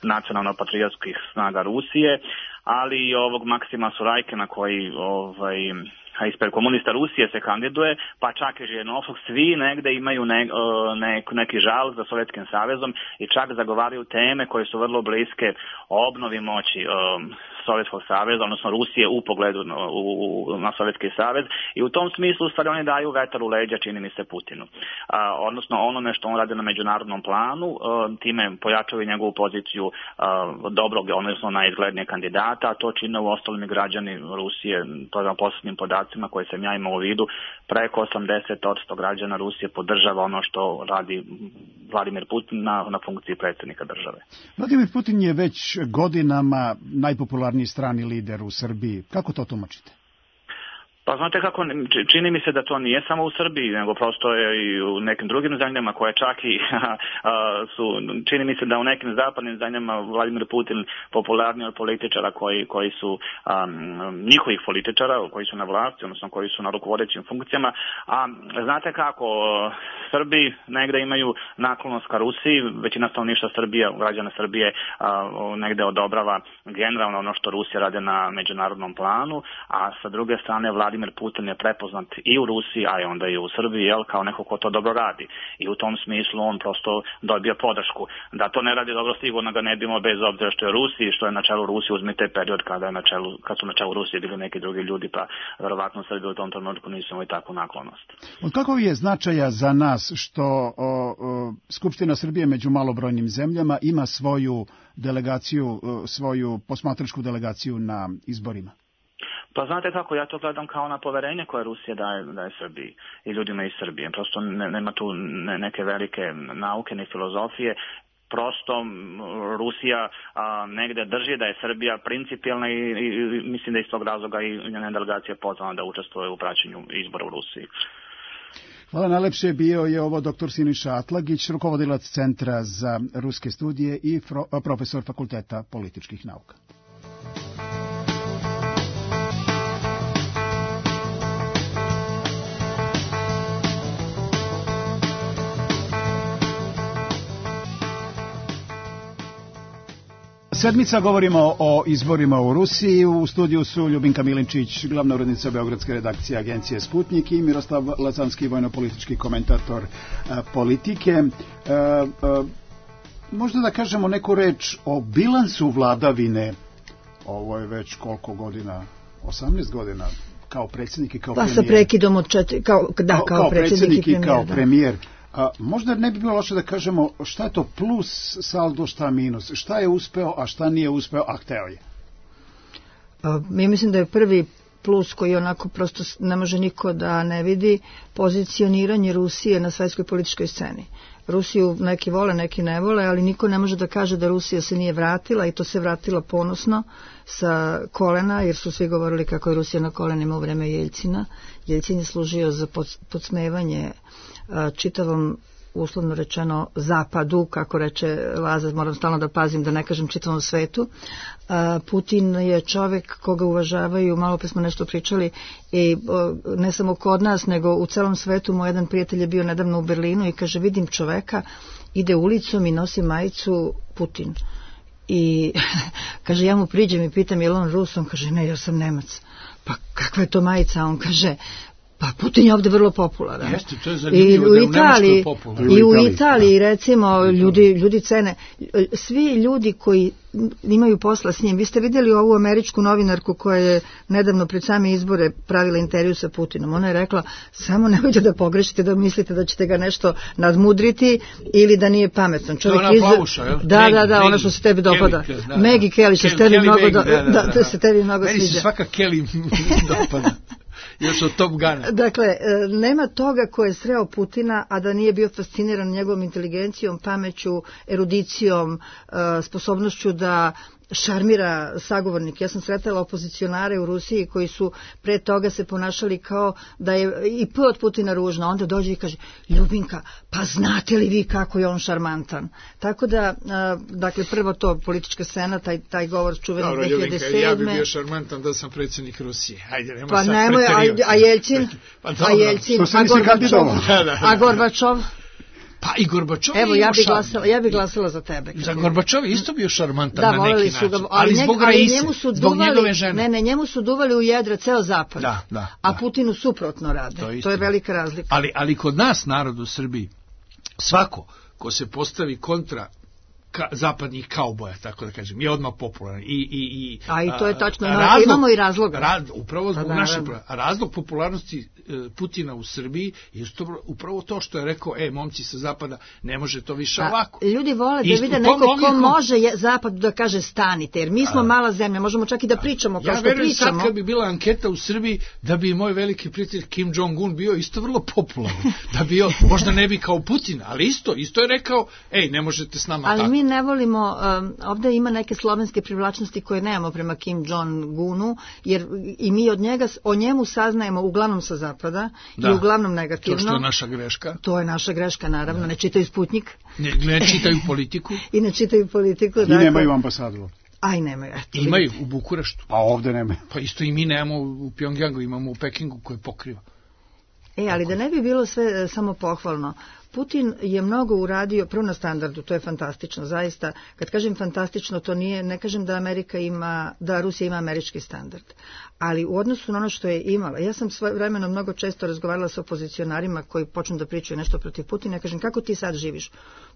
nacionalno-patriotskih snaga Rusije, ali i ovog Maksima Surajkina koji ispred komunista Rusije se kandiduje, pa čak i Žirinovskog, svi negde imaju neki žal za Sovjetskim savezom i čak zagovaraju teme koje su vrlo bliske obnovi moći Sovjetskog saveza, odnosno Rusije u pogledu na Sovjetski savez, i u tom smislu stvari oni daju vetar u leđa, čini mi se, Putinu. Odnosno onome što on radi na međunarodnom planu, time pojačaju njegovu poziciju dobrog, odnosno najizglednijeg kandidata, a to čine u ostalim građani Rusije, to je posljednjim podacima koje sam ja imao u vidu, preko 80% građana Rusije podržava ono što radi Vladimir Putin na funkciji predsjednika države. Vladimir Putin je već godinama najpopularniji strani lider u Srbiji. Kako to tumačite? Pa znate kako, čini mi se da to nije samo u Srbiji, nego prosto je i u nekim drugim zemljama koje čak i čini mi se da u nekim zapadnim zemljama Vladimir Putin popularniji od političara koji su njihovih političara, koji su na vlasti, odnosno koji su na rukovodećim funkcijama. A znate kako, Srbi negde imaju naklonost ka Rusiji, većina stanovništva Srbije, građana Srbije negde odobrava generalno ono što Rusija rade na međunarodnom planu, a sa druge strane Vladimir Putin je prepoznat i u Rusiji, a i onda i u Srbiji, kao neko ko to dobro radi. I u tom smislu on prosto dobija podršku. Da to ne radi dobro, sigurno ga ne bimo, bez obzira što je Rusiji, što je na čelu Rusije, uzmite period kad su na čelu Rusije bili neki drugi ljudi, pa verovatno Srbi u tom trenutku nisu imali takvu naklonost. Od kakvog je značaja za nas što Skupština Srbije među malobrojnim zemljama ima svoju delegaciju, svoju posmatračku delegaciju na izborima? Pa znate kako, ja to gledam kao na poverenje koje Rusija daje Srbiji i ljudima iz Srbije. Prosto nema tu neke velike nauke ni filozofije. Prosto Rusija negde drži da je Srbija principijelna i mislim da iz tog razloga i njena delegacija pozvana da učestvuje u praćenju izbora u Rusiji. Hvala najlepše. Bio je ovo dr. Siniša Atlagić, rukovodilac Centra za ruske studije i profesor Fakulteta političkih nauka. Sedmica, govorimo o izborima u Rusiji. U studiju su Ljubinka Milinčić, glavna urednica beogradske redakcije agencije Sputnik, i Miroslav Lazanski, vojno-politički komentator Politike. Možda da kažemo neku reč o bilansu vladavine. Ovo je već koliko godina? 18 godina kao predsjednik i kao premijer. Pa sa prekidom od 4, kao predsjednik i kao premijer. Možda ne bi bilo loše da kažemo šta je to plus saldo, šta minus, šta je uspeo, a šta nije uspeo, a hteo je. Ja mislim da je prvi plus koji onako prosto ne može niko da ne vidi, pozicioniranje Rusije na svjetskoj političkoj sceni. Rusiju neki vole, neki ne vole, ali niko ne može da kaže da Rusija se nije vratila, i to se vratila ponosno sa kolena, jer su svi govorili kako je Rusija na kolenima u vreme Jeljcina. Jeljcin je služio za podsmevanje čitavom, uslovno rečeno, zapadu, kako reče Laza, moram stalno da pazim da ne kažem čitavom svetu. Putin je čovjek koga uvažavaju, malo pre smo nešto pričali, i ne samo kod nas, nego u celom svetu. Moj jedan prijatelj je bio nedavno u Berlinu i kaže, vidim čoveka, ide ulicom i nosi majicu Putin. I kaže, ja mu priđem i pitam, je li on Rus? On kaže, ne, ja sam Nemac. Pa kakva je to majica, on kaže, pa Putin je ovde vrlo popularan. Jeste, to je zanimljivo da je u Nemačkoj popularan. I u Italiji, recimo, ljudi cene. Svi ljudi koji imaju posla s njim. Vi ste vidjeli ovu američku novinarku koja je nedavno pred same izbore pravila intervju sa Putinom. Ona je rekla, samo nemojte da pogrešite, da mislite da ćete ga nešto nadmudriti ili da nije pametan. To je ona plavuša, jel? Da, ona što se tebi dopada. Maggie Kelly, što se tebi mnogo da se tebi mnogo sviđa. Meni se svaka Kelly dopada. Još od Top Guna. Dakle, nema toga ko je sreo Putina, a da nije bio fasciniran njegovom inteligencijom, pameću, erudicijom, sposobnošću da šarmira sagovornik. Ja sam sretala opozicionare u Rusiji koji su pre toga se ponašali kao da je i P od Putina ružno. Onda dođe i kaže, Ljubinka, pa znate li vi kako je on šarmantan? Tako da, dakle, prvo to politička scena, taj govor čuveni 2007. Ljubinka, ja bi bio šarmantan da sam predsjednik Rusije. Ajde, nema pa sad nemoj, a Jelcin? A Jelcin, a Gorbačov? Pa i Gorbačov je ja bih glasala za tebe. Za Gorbačov je isto bio šarmantan na neki način. Ali zbog Raise, zbog njegove žene. Ne, njemu su duvali u jedra ceo zapad. A Putinu suprotno rade. To je velika razlika. Ali kod nas, narod u Srbiji, svako ko se postavi kontra zapadnih kauboja, tako da kažem, je odmah popularan. I to je tačno, imamo i razloga. Upravo zbog našeg razlog popularnosti Putina u Srbiji je upravo to što je rekao, momci sa zapada, ne može to više ovako. Ljudi vole da vide neko ko može zapadu da kaže stanite, jer mi smo mala zemlja, možemo čak i da pričamo kao što pričamo. Ja verujem sad kad bi bila anketa u Srbiji, da bi moj veliki prijatelj Kim Jong-un bio isto vrlo popularan. Da bio, možda ne bi kao Putin, ali isto je rekao, ne možete s nama tako. Mi ne volimo, ovdje ima neke slovenske privlačnosti koje nemamo prema Kim Jong-unu, jer i mi o njemu saznajemo uglavnom sa zapada i uglavnom negativno. To što je naša greška. To je naša greška, naravno, ne čitaju Sputnik. Ne čitaju politiku. I ne čitaju politiku. I nemaju ambasadu. Aj, nemaju. Imaju u Bukureštu. Pa ovdje nemaju. Pa isto i mi nemamo u Pjongjangu, imamo u Pekingu koje pokriva. Ali da ne bi bilo sve samo pohvalno, Putin je mnogo uradio, prvo na standardu, to je fantastično, zaista. Kad kažem fantastično, to ne kažem da Rusija ima američki standard, ali u odnosu na ono što je imala. Ja sam svojevremeno mnogo često razgovarala sa opozicionarima koji počnu da pričaju nešto protiv Putina, kažem, kako ti sad živiš?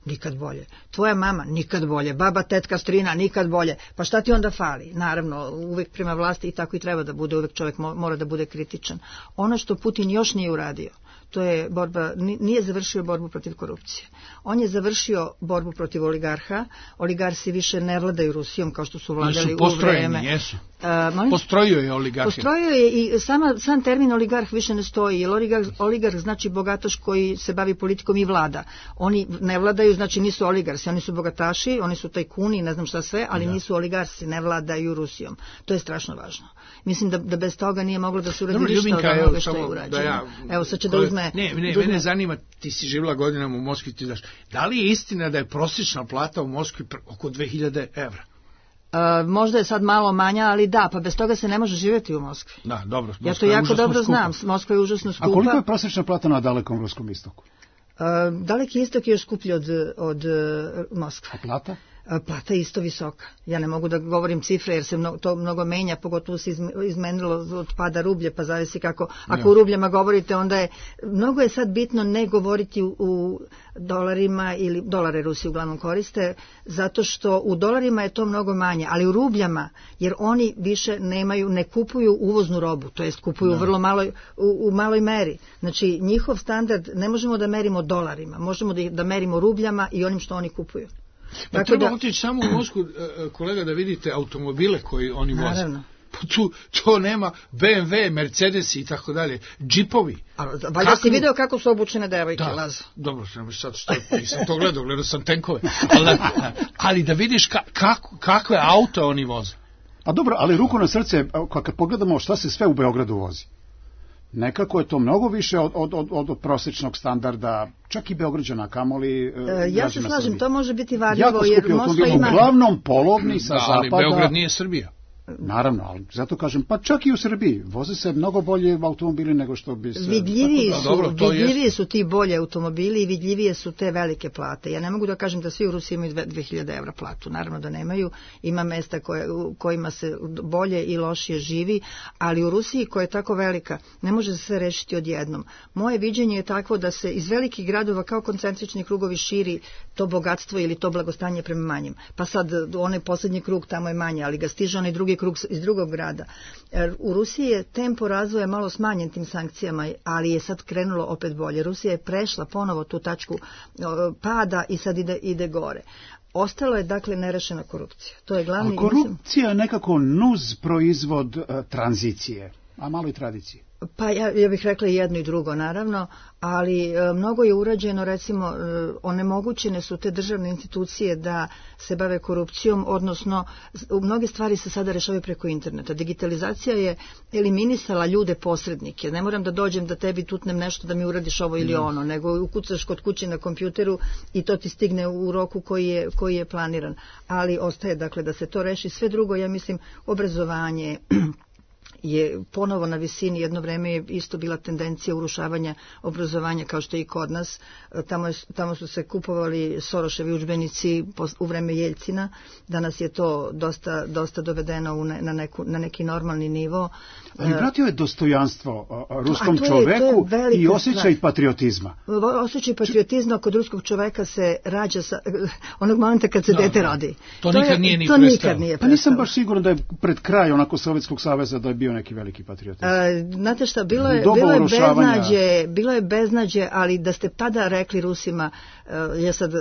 Nikad bolje. Tvoja mama? Nikad bolje. Baba, tetka, strina? Nikad bolje. Pa šta ti onda fali? Naravno, uvek prema vlasti i tako i treba da bude, uvek čovjek mora da bude kritičan. Ono što Putin još nije uradio, to je borba, nije završio borbu protiv korupcije. On je završio borbu protiv oligarha. Oligarsi više ne vladaju Rusijom kao što su vladali u vreme. Jesu. Postrojio je oligarhe. Postrojio je i sam termin oligarh više ne stoji, jer oligarh znači bogataš koji se bavi politikom i vlada. Oni ne vladaju, znači nisu oligarsi, oni su bogataši, oni su tajkuni, ne znam šta sve, ali nisu oligarsi, ne vladaju Rusijom. To je strašno važno. Mislim da bez toga nije moglo da se uradi ništa od onoga što je urađeno. Evo sad će da uzme... Mene zanima, ti si živjela godinama u Moskvi, ti daš, da li je istina da je prosječna plata u Moskvi oko 2000 evra? Možda je sad malo manja, ali da, pa bez toga se ne može živjeti u Moskvi. Da, dobro. Ja to jako dobro znam, Moskva je užasno skupa. A koliko je prosječna plata na dalekom ruskom istoku? Daleki istok je još skuplji od Moskve. A plata? Plata je isto visoka. Ja ne mogu da govorim cifre jer se to mnogo menja, pogotovo se izmenilo od pada rublje, pa zavisi kako. Ako u rubljama govorite, onda je, mnogo je sad bitno ne govoriti u dolarima, ili dolare Rusi uglavnom koriste, zato što u dolarima je to mnogo manje, ali u rubljama, jer oni više ne kupuju uvoznu robu, to jest kupuju vrlo u maloj meri. Znači, njihov standard ne možemo da merimo dolarima, možemo da merimo rubljama i onim što oni kupuju. Pa treba otići samo u Moskvu, kolega, da vidite automobile koji oni voze. Naravno. To nema BMW, Mercedes i tako dalje, džipovi. Valjda si video kako su obučene devojke, Lazo. Dobro, sad što nisam to gledao sam tenkove. Ali da vidiš kakve auto oni voze. A dobro, ali ruku na srce, kad pogledamo šta se sve u Beogradu vozi, nekako je to mnogo više od prosječnog standarda, čak i Beograđana, kamoli ja se slažem, to može biti varljivo, jer Moskva ima... Uglavnom polovni sa zapada... Ali Beograd nije Srbija. Naravno, ali zato kažem, pa čak i u Srbiji voze se mnogo bolje automobili nego što bi se... Vidljiviji su ti bolje automobili i vidljivije su te velike plate. Ja ne mogu da kažem da svi u Rusiji imaju 2000 evra platu, naravno da nemaju, ima mesta kojima se bolje i lošije živi, ali u Rusiji koja je tako velika ne može se sve rešiti odjednom. Moje viđenje je takvo da se iz velikih gradova kao koncentrični krugovi širi to bogatstvo ili to blagostanje prema manjim. Pa sad onaj posljednji krug tamo je manje, ali ga stiže onaj drugi krug iz drugog grada. U Rusiji je tempo razvoja malo smanjen tim sankcijama, ali je sad krenulo opet bolje. Rusija je prešla ponovo tu tačku pada i sad ide gore. Ostalo je dakle nerešena korupcija. To je glavni. A korupcija je nekako nuz proizvod tranzicije, a malo i tradicije. Pa ja bih rekla i jedno i drugo naravno, ali mnogo je urađeno, recimo onemogućene su te državne institucije da se bave korupcijom, odnosno mnoge stvari se sada rešavaju preko interneta. Digitalizacija je eliminisala ljude posrednike. Ne moram da dođem da tebi tutnem nešto da mi uradiš ovo ili ono, nego ukucaš kod kuće na kompjuteru i to ti stigne u roku koji je planiran. Ali ostaje dakle da se to reši. Sve drugo, ja mislim, obrazovanje je ponovo na visini. Jedno vreme je isto bila tendencija urušavanja obrazovanja kao što je i kod nas. Tamo su se kupovali Soroševi udžbenici u vreme Jeljcina. Danas je to dosta dovedeno na neki normalni nivo. Ali vratio je dostojanstvo ruskom čoveku i osjećaj patriotizma. Osjećaj patriotizma kod ruskog čoveka se rađa onog momenta kad se dete rodi. To nikad nije ni prestao. Pa nisam baš siguran da je pred kraj onako Sovjetskog saveza da je bio neki veliki patriotizam. Znate šta, bilo je beznađe, ali da ste tada rekli Rusima, ja sad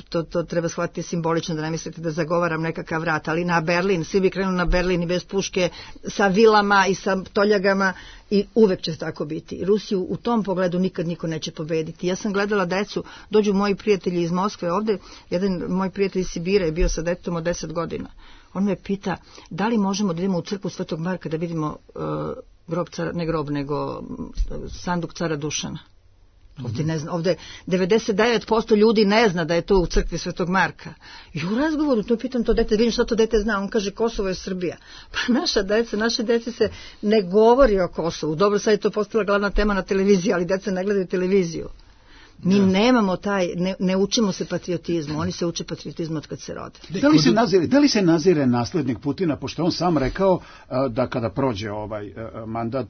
to treba shvatiti simbolično, da ne mislite da zagovaram nekakav rat, ali na Berlin, svi bi krenuli na Berlin i bez puške, sa vilama i sa toljagama, i uvek će tako biti. Rusiju u tom pogledu nikad niko neće pobediti. Ja sam gledala decu, dođu moji prijatelji iz Moskve ovde, jedan moj prijatelj iz Sibira je bio sa detetom od 10 godina. On me pita da li možemo da idemo u crkvu Svetog Marka da vidimo nego sanduk cara Dušana. Ovde 99% ljudi ne zna da je to u crkvi Svetog Marka. I u razgovoru to pitam to dete, vidim šta to dete zna, on kaže Kosovo je Srbija. Pa naše dece se ne govori o Kosovu. Dobro, sad je to postala glavna tema na televiziji, ali deca ne gledaju televiziju. Mi nemamo ne učimo se patriotizmu, oni se uče patriotizmu od kad se rode. Da li se nazire naslednik Putina, pošto on sam rekao da kada prođe ovaj mandat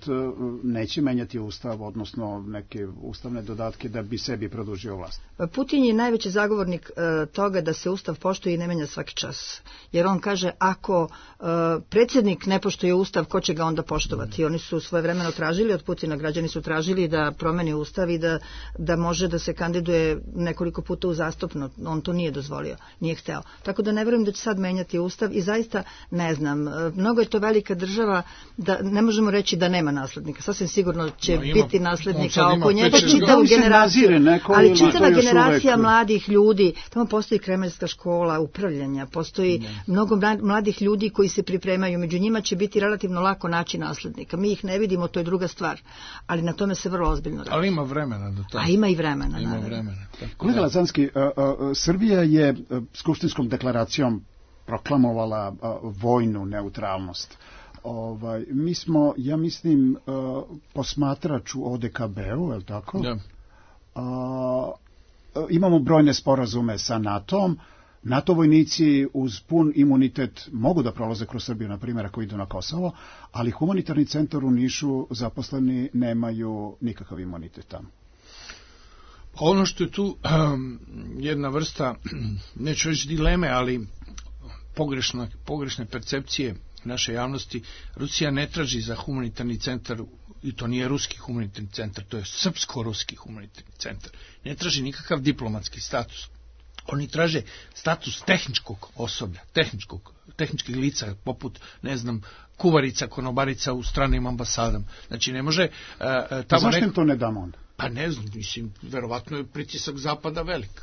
neće menjati ustav, odnosno neke ustavne dodatke da bi sebi produžio vlast? Putin je najveći zagovornik toga da se ustav poštuje i ne menja svaki čas. Jer on kaže, ako predsjednik ne poštuje ustav, ko će ga onda poštovati? Oni su svojevremeno tražili od Putina, građani su tražili da promeni ustav i da može da se kandiduje nekoliko puta uzastopno. On to nije dozvolio, nije hteo. Tako da ne verujem da će sad menjati ustav i zaista ne znam. Mnogo je to velika država da ne možemo reći da nema naslednika. Sasvim sigurno će biti naslednika oko njega čitavu generaciju. Ali čitava generacija mladih ljudi, tamo postoji kremeljska škola upravljanja, postoji mnogo mladih ljudi koji se pripremaju. Među njima će biti relativno lako naći naslednika. Mi ih ne vidimo, to je druga stvar. Ali na tome se vrlo ozbiljno radi. Ali ima vremena do toga. A ima i vremena. Kolega Lazanski, Srbija je skupštinskom deklaracijom proklamovala vojnu neutralnost. Mi smo, ja mislim, posmatrač u ODKB-u, je li tako? Da. Imamo brojne sporazume sa NATO-om. NATO vojnici uz pun imunitet mogu da prolaze kroz Srbiju, na primjer, ako idu na Kosovo, ali humanitarni centar u Nišu zaposleni nemaju nikakav imunitet tamo. Ono što je tu jedna vrsta, neću reći dileme, ali pogrešne percepcije naše javnosti, Rusija ne traži za humanitarni centar, i to nije ruski humanitarni centar, to je srpsko-ruski humanitarni centar, ne traži nikakav diplomatski status. Oni traže status tehničkog osoblja, tehničkih lica, poput, ne znam, kuvarica, konobarica u stranim ambasadama. Znači, ne može tamo... Zašto im to ne damo onda? Pa ne znam, mislim, verovatno je pritisak Zapada velik.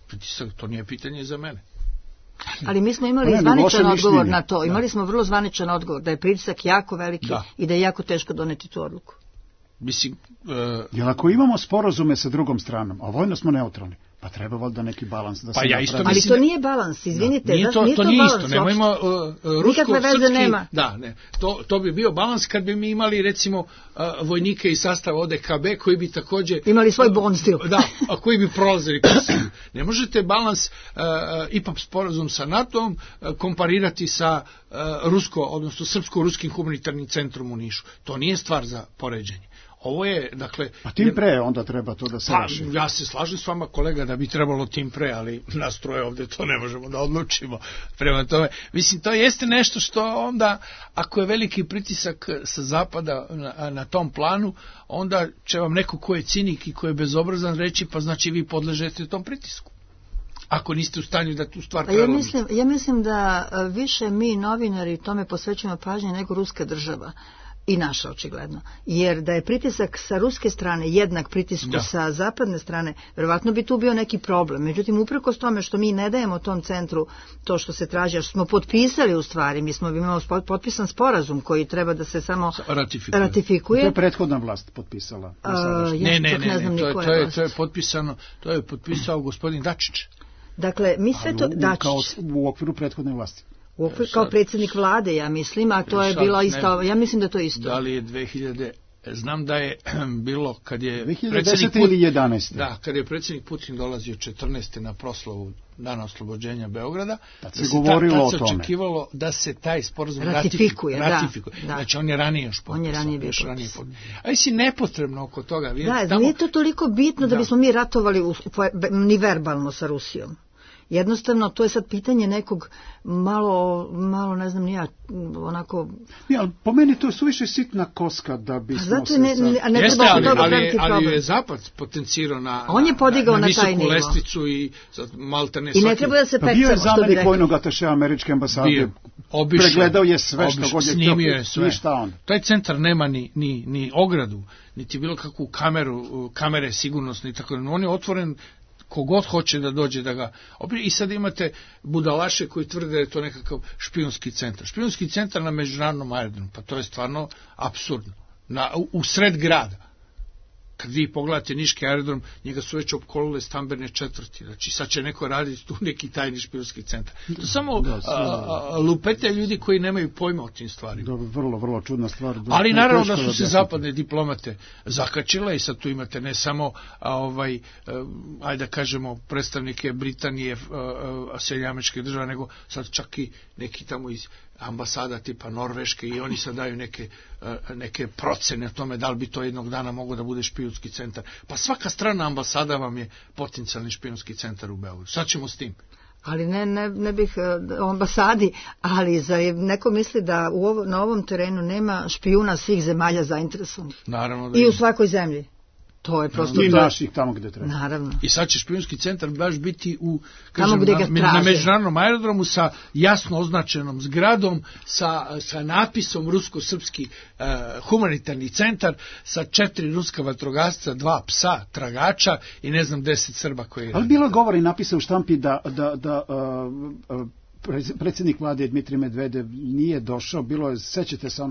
Pritisak, to nije pitanje za mene. Ali mi smo imali zvaničan odgovor na to. Imali smo vrlo zvaničan odgovor, da je pritisak jako veliki i da je jako teško doneti tu odluku. Mislim... Jer ako imamo sporazume sa drugom stranom, a vojno smo neutralni, Pa treba valjda neki balans da se napravi. Ali to nije balans, izvinite. Nije to isto, nemojmo rusko-srpski... Da, ne. To bi bio balans kad bi mi imali, recimo, vojnike iz sastava ODKB koji bi također... Imali svoj bonstil. Da, a koji bi prolazili. Ne možete balans IPA sporazum sa NATO-om komparirati sa odnosno srpsko-ruskim humanitarnim centrom u Nišu. To nije stvar za poređenje. Ovo je, dakle... A tim pre onda treba to da se reši. Ja se slažem s vama, kolega, da bi trebalo tim pre, ali nas troje ovde to ne možemo da odlučimo. Prema tome, mislim, to jeste nešto što onda, ako je veliki pritisak sa zapada na tom planu, onda će vam neko ko je cinik i ko je bezobrazan reći, pa znači vi podležete tom pritisku. Ako niste u stanju da tu stvar prelomite. Ja mislim da više mi novinari tome posvećujemo pažnje nego ruska država. I naša, očigledno. Jer da je pritisak sa ruske strane jednak pritisku sa zapadne strane, verovatno bi tu bio neki problem. Međutim, uprkos tome što mi ne dajemo tom centru to što se traži, a što smo potpisali u stvari, mi smo imali potpisan sporazum koji treba da se samo ratifikuje. To je prethodna vlast potpisala. Ne, to je potpisano, to je potpisao gospodin Dačić. Dakle, mi sve to... Dačić. U okviru prethodne vlasti. Kao predsjednik vlade, ja mislim, a to je bilo isto, ja mislim da to isto. Da li je 2000, znam da je bilo kad je 2010. ili 11. Da, kad je predsjednik Putin dolazio 14. na proslavu Dana oslobođenja Beograda, tad se govorilo o tome. Tad se očekivalo da se taj sporazum ratifikuje. Znači on je ranije još potpisao. On je ranije bio A si nepotrebno oko toga. Nije to toliko bitno da bismo mi ratovali ni verbalno sa Rusijom. Jednostavno, to je sad pitanje nekog malo ne znam ni ja, onako... Ne, ali po meni to je suviše sitna koska da bismo zato Jeste, ali je Zapad potencirao na visoku lestvicu i maltene svaki... I ne treba da se peca, bio je zamenik vojnog atašea američke ambasade, pregledao je sve što god je htio, ništa on. Taj centar nema ni ogradu, niti bilo kakvu kamere sigurnosne i tako. On je otvoren kogod hoće da dođe da ga... I sad imate budalaše koji tvrde da je to nekakav špijunski centar. Špijunski centar na međunarodnom aerodromu, pa to je stvarno apsurdno. U sred grada. Kad vi pogledate niški aerodrom, njega su već opkolile stambene četvrti. Znači sad će neko raditi tu neki tajni špijunski centar. To samo lupete ljudi koji nemaju pojma o tim stvarima. Vrlo, vrlo čudna stvar. Ali naravno da su se zapadne diplomate zakačile i sad tu imate ne samo ajde da kažemo predstavnike Britanije, Sjedinjenih Američkih Država, nego sad čak i neki tamo iz ambasada tipa Norveške i oni sad daju neke procene o tome da li bi to jednog dana moglo da bude špijunski centar. Pa svaka strana ambasada vam je potencijalni špijunski centar u Beogradu. Sad ćemo s tim. Ali ne bih o ambasadi, ali zar neko misli da na ovom terenu nema špijuna svih zemalja zainteresovanih? Naravno da i u svakoj zemlji. To je prosto i naših tamo gde treba. Naravno. I sad će špijunski centar baš biti na međunarodnom aerodromu sa jasno označenom zgradom, sa napisom rusko-srpski humanitarni centar, sa 4 ruska vatrogasca, 2 psa, tragača i ne znam 10 Srba koji radi. Ali bilo govori napisa u štampi da predsjednik vlade Dmitrij Medvedev nije došao, bilo je, sećate se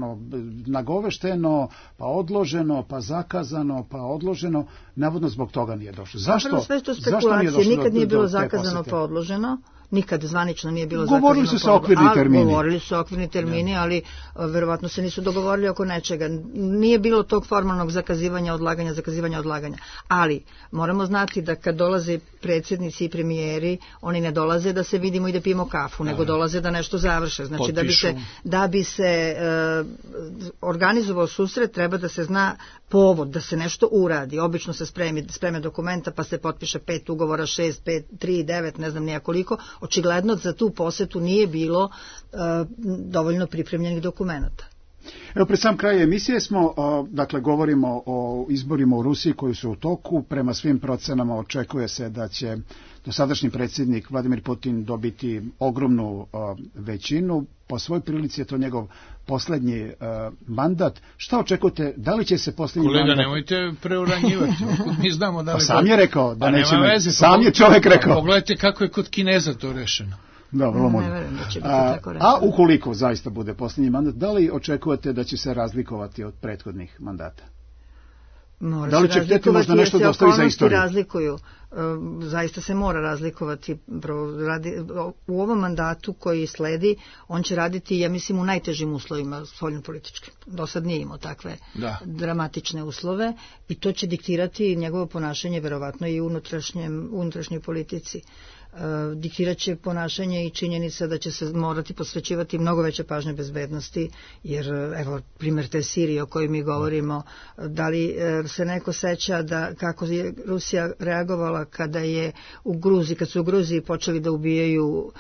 nagovešteno, pa odloženo, pa zakazano, pa odloženo, navodno zbog toga nije došao. Zašto? Sve to spekulacije, nikad nije bilo zakazano pa odloženo. Nikad zvanično nije bilo zakazano. Govorili su se okvirni termini. Govorili su okvirni termini, ali verovatno se nisu dogovorili oko nečega. Nije bilo tog formalnog zakazivanja, odlaganja. Ali moramo znati da kad dolaze predsjednici i premijeri, oni ne dolaze da se vidimo i da pijemo kafu, nego dolaze da nešto završe. Znači da bi se organizovao susret, treba da se zna povod, da se nešto uradi. Obično se spreme dokumenta, pa se potpiše 5 ugovora, 6, 5, 3, 9, ne znam nijakoliko. Očigledno za tu posetu nije bilo dovoljno pripremljenih dokumenta. Evo, pred sam kraj emisije smo, dakle, govorimo o izborima u Rusiji koji su u toku. Prema svim procenama očekuje se da će dosadašnji predsjednik Vladimir Putin dobiti ogromnu većinu. Po svojoj prilici je to njegov poslednji mandat. Šta očekujete? Da li će se poslednji mandat... Kolega, nemojte preuranjivati. Mi znamo da li... Pa sam je rekao da neće... Sam je čovjek rekao. Pogledajte kako je kod Kineza to rešeno. Da, vrlo možda. Ne verujem da će biti tako rešeno. A ukoliko zaista bude posljednji mandat, da li očekujete da će se razlikovati od prethodnih mandata? Da li će htjeti možda nešto da ostavi za istoriju? Razlikuju. Zaista se mora razlikovati. U ovom mandatu koji sledi, on će raditi, ja mislim, u najtežim uslovima spoljnopolitičkim. Do sad nije imao takve dramatične uslove i to će diktirati njegovo ponašanje verovatno i unutrašnjoj politici. Diktirat će ponašanje i činjenica da će se morati posvećivati mnogo veće pažnje bezbednosti, jer evo primjer te Sirije o kojoj mi govorimo, da li se neko seća da kako je Rusija reagovala kada je u Gruziji, kad su u Gruziji počeli da ubijaju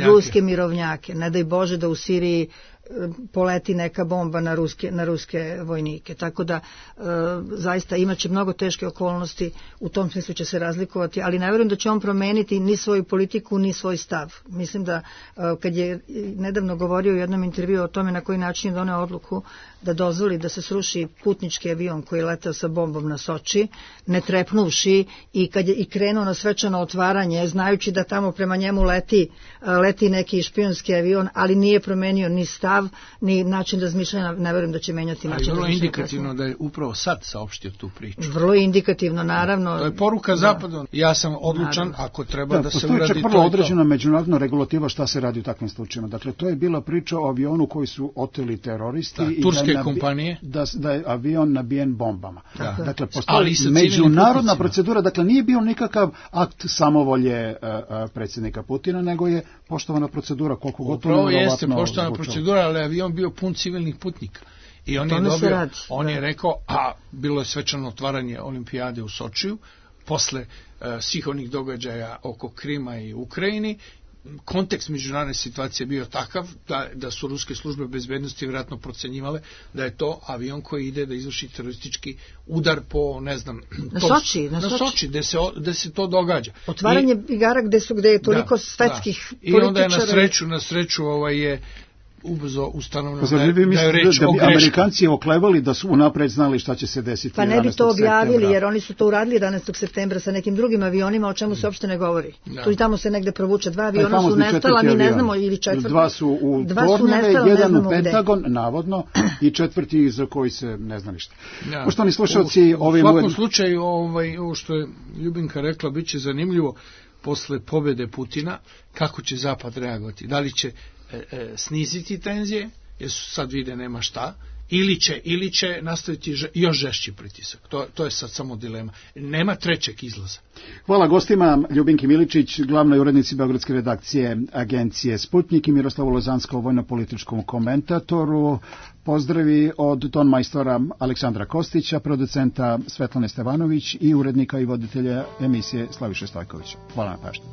ruske mirovnjake, ne daj Bože da u Siriji poleti neka bomba na ruske vojnike. Tako da zaista imaće mnogo teške okolnosti, u tom smislu će se razlikovati, ali ne vjerujem da će on promeniti ni svoju politiku, ni svoj stav. Mislim da kad je nedavno govorio u jednom intervju o tome na koji način je doneo odluku da dozvoli da se sruši putnički avion koji je letao sa bombom na Soči, ne trepnuvši, i kad je i krenuo na svečano otvaranje, znajući da tamo prema njemu leti neki špijunski avion, ali nije promenio ni stav, ni način razmišljanja, ne verujem da će menjati način razmišljanja. Ali vrlo indikativno da je upravo sad saopštio tu priču. Vrlo indikativno, naravno. To je poruka Zapadu. Ja sam odlučan, ako treba da se uradi to. Postoji čak vrlo određena međunarodna regulativa šta se radi u takvim slučajima. Dakle, to je bila priča o avionu koji su oteli teroristi. Da, turske kompanije. Da je avion nabijen bombama. Da. Dakle, postoji međunarodna procedura. Dakle, nije bio nikakav akt samovolje predsjednika Putina, nego je poštovana procedura, koliko gotovo nevjerovatno. Upravo jeste poštovana procedura, ali avion bio pun civilnih putnika. I on je rekao, a bilo je svečano otvaranje olimpijade u Sočiju, posle svih onih događaja oko Krima i Ukrajini, kontekst međunarodne situacije bio takav da su ruske službe bezbednosti vjerojatno procenjivale da je to avion koji ide da izvrši teroristički udar po, ne znam, na Soči, gde se to događa. Otvaranje igara gde je toliko svetskih političara. I onda je na sreću je ubrzo ustanovno da je reč o greškom. Amerikanci oklevali da su unapred znali šta će se desiti 11. septembra. Pa ne bi to objavili, septembra. Jer oni su to uradili 11. septembra sa nekim drugim avionima, o čemu se uopšte ne govori. Tu i tamo se negde provuče. 2 aviona su nestala, mi ne znamo, ili 4. 2 su u Tornjeve, 1 u Pentagon, navodno, i 4. za koji se ne zna ništa. Poštovani slušalci, u svakom slučaju, ovo što je Ljubinka rekla, bit će zanimljivo posle pobjede Putina, kako će Zapad reagovati. Da li će sniziti tenzije, jer su sad vide nema šta, ili će nastaviti još žešći pritisak. To je sad samo dilema. Nema trećeg izlaza. Hvala gostima, Ljubinki Miličić, glavnoj urednici beogradske redakcije agencije Sputnik, i Miroslavu Lozanskom, vojno-političkom komentatoru. Pozdravi od tonmajstora Aleksandra Kostića, producenta Svetlane Stevanović i urednika i voditelja emisije Slaviše Stojkovića. Hvala na pažnji.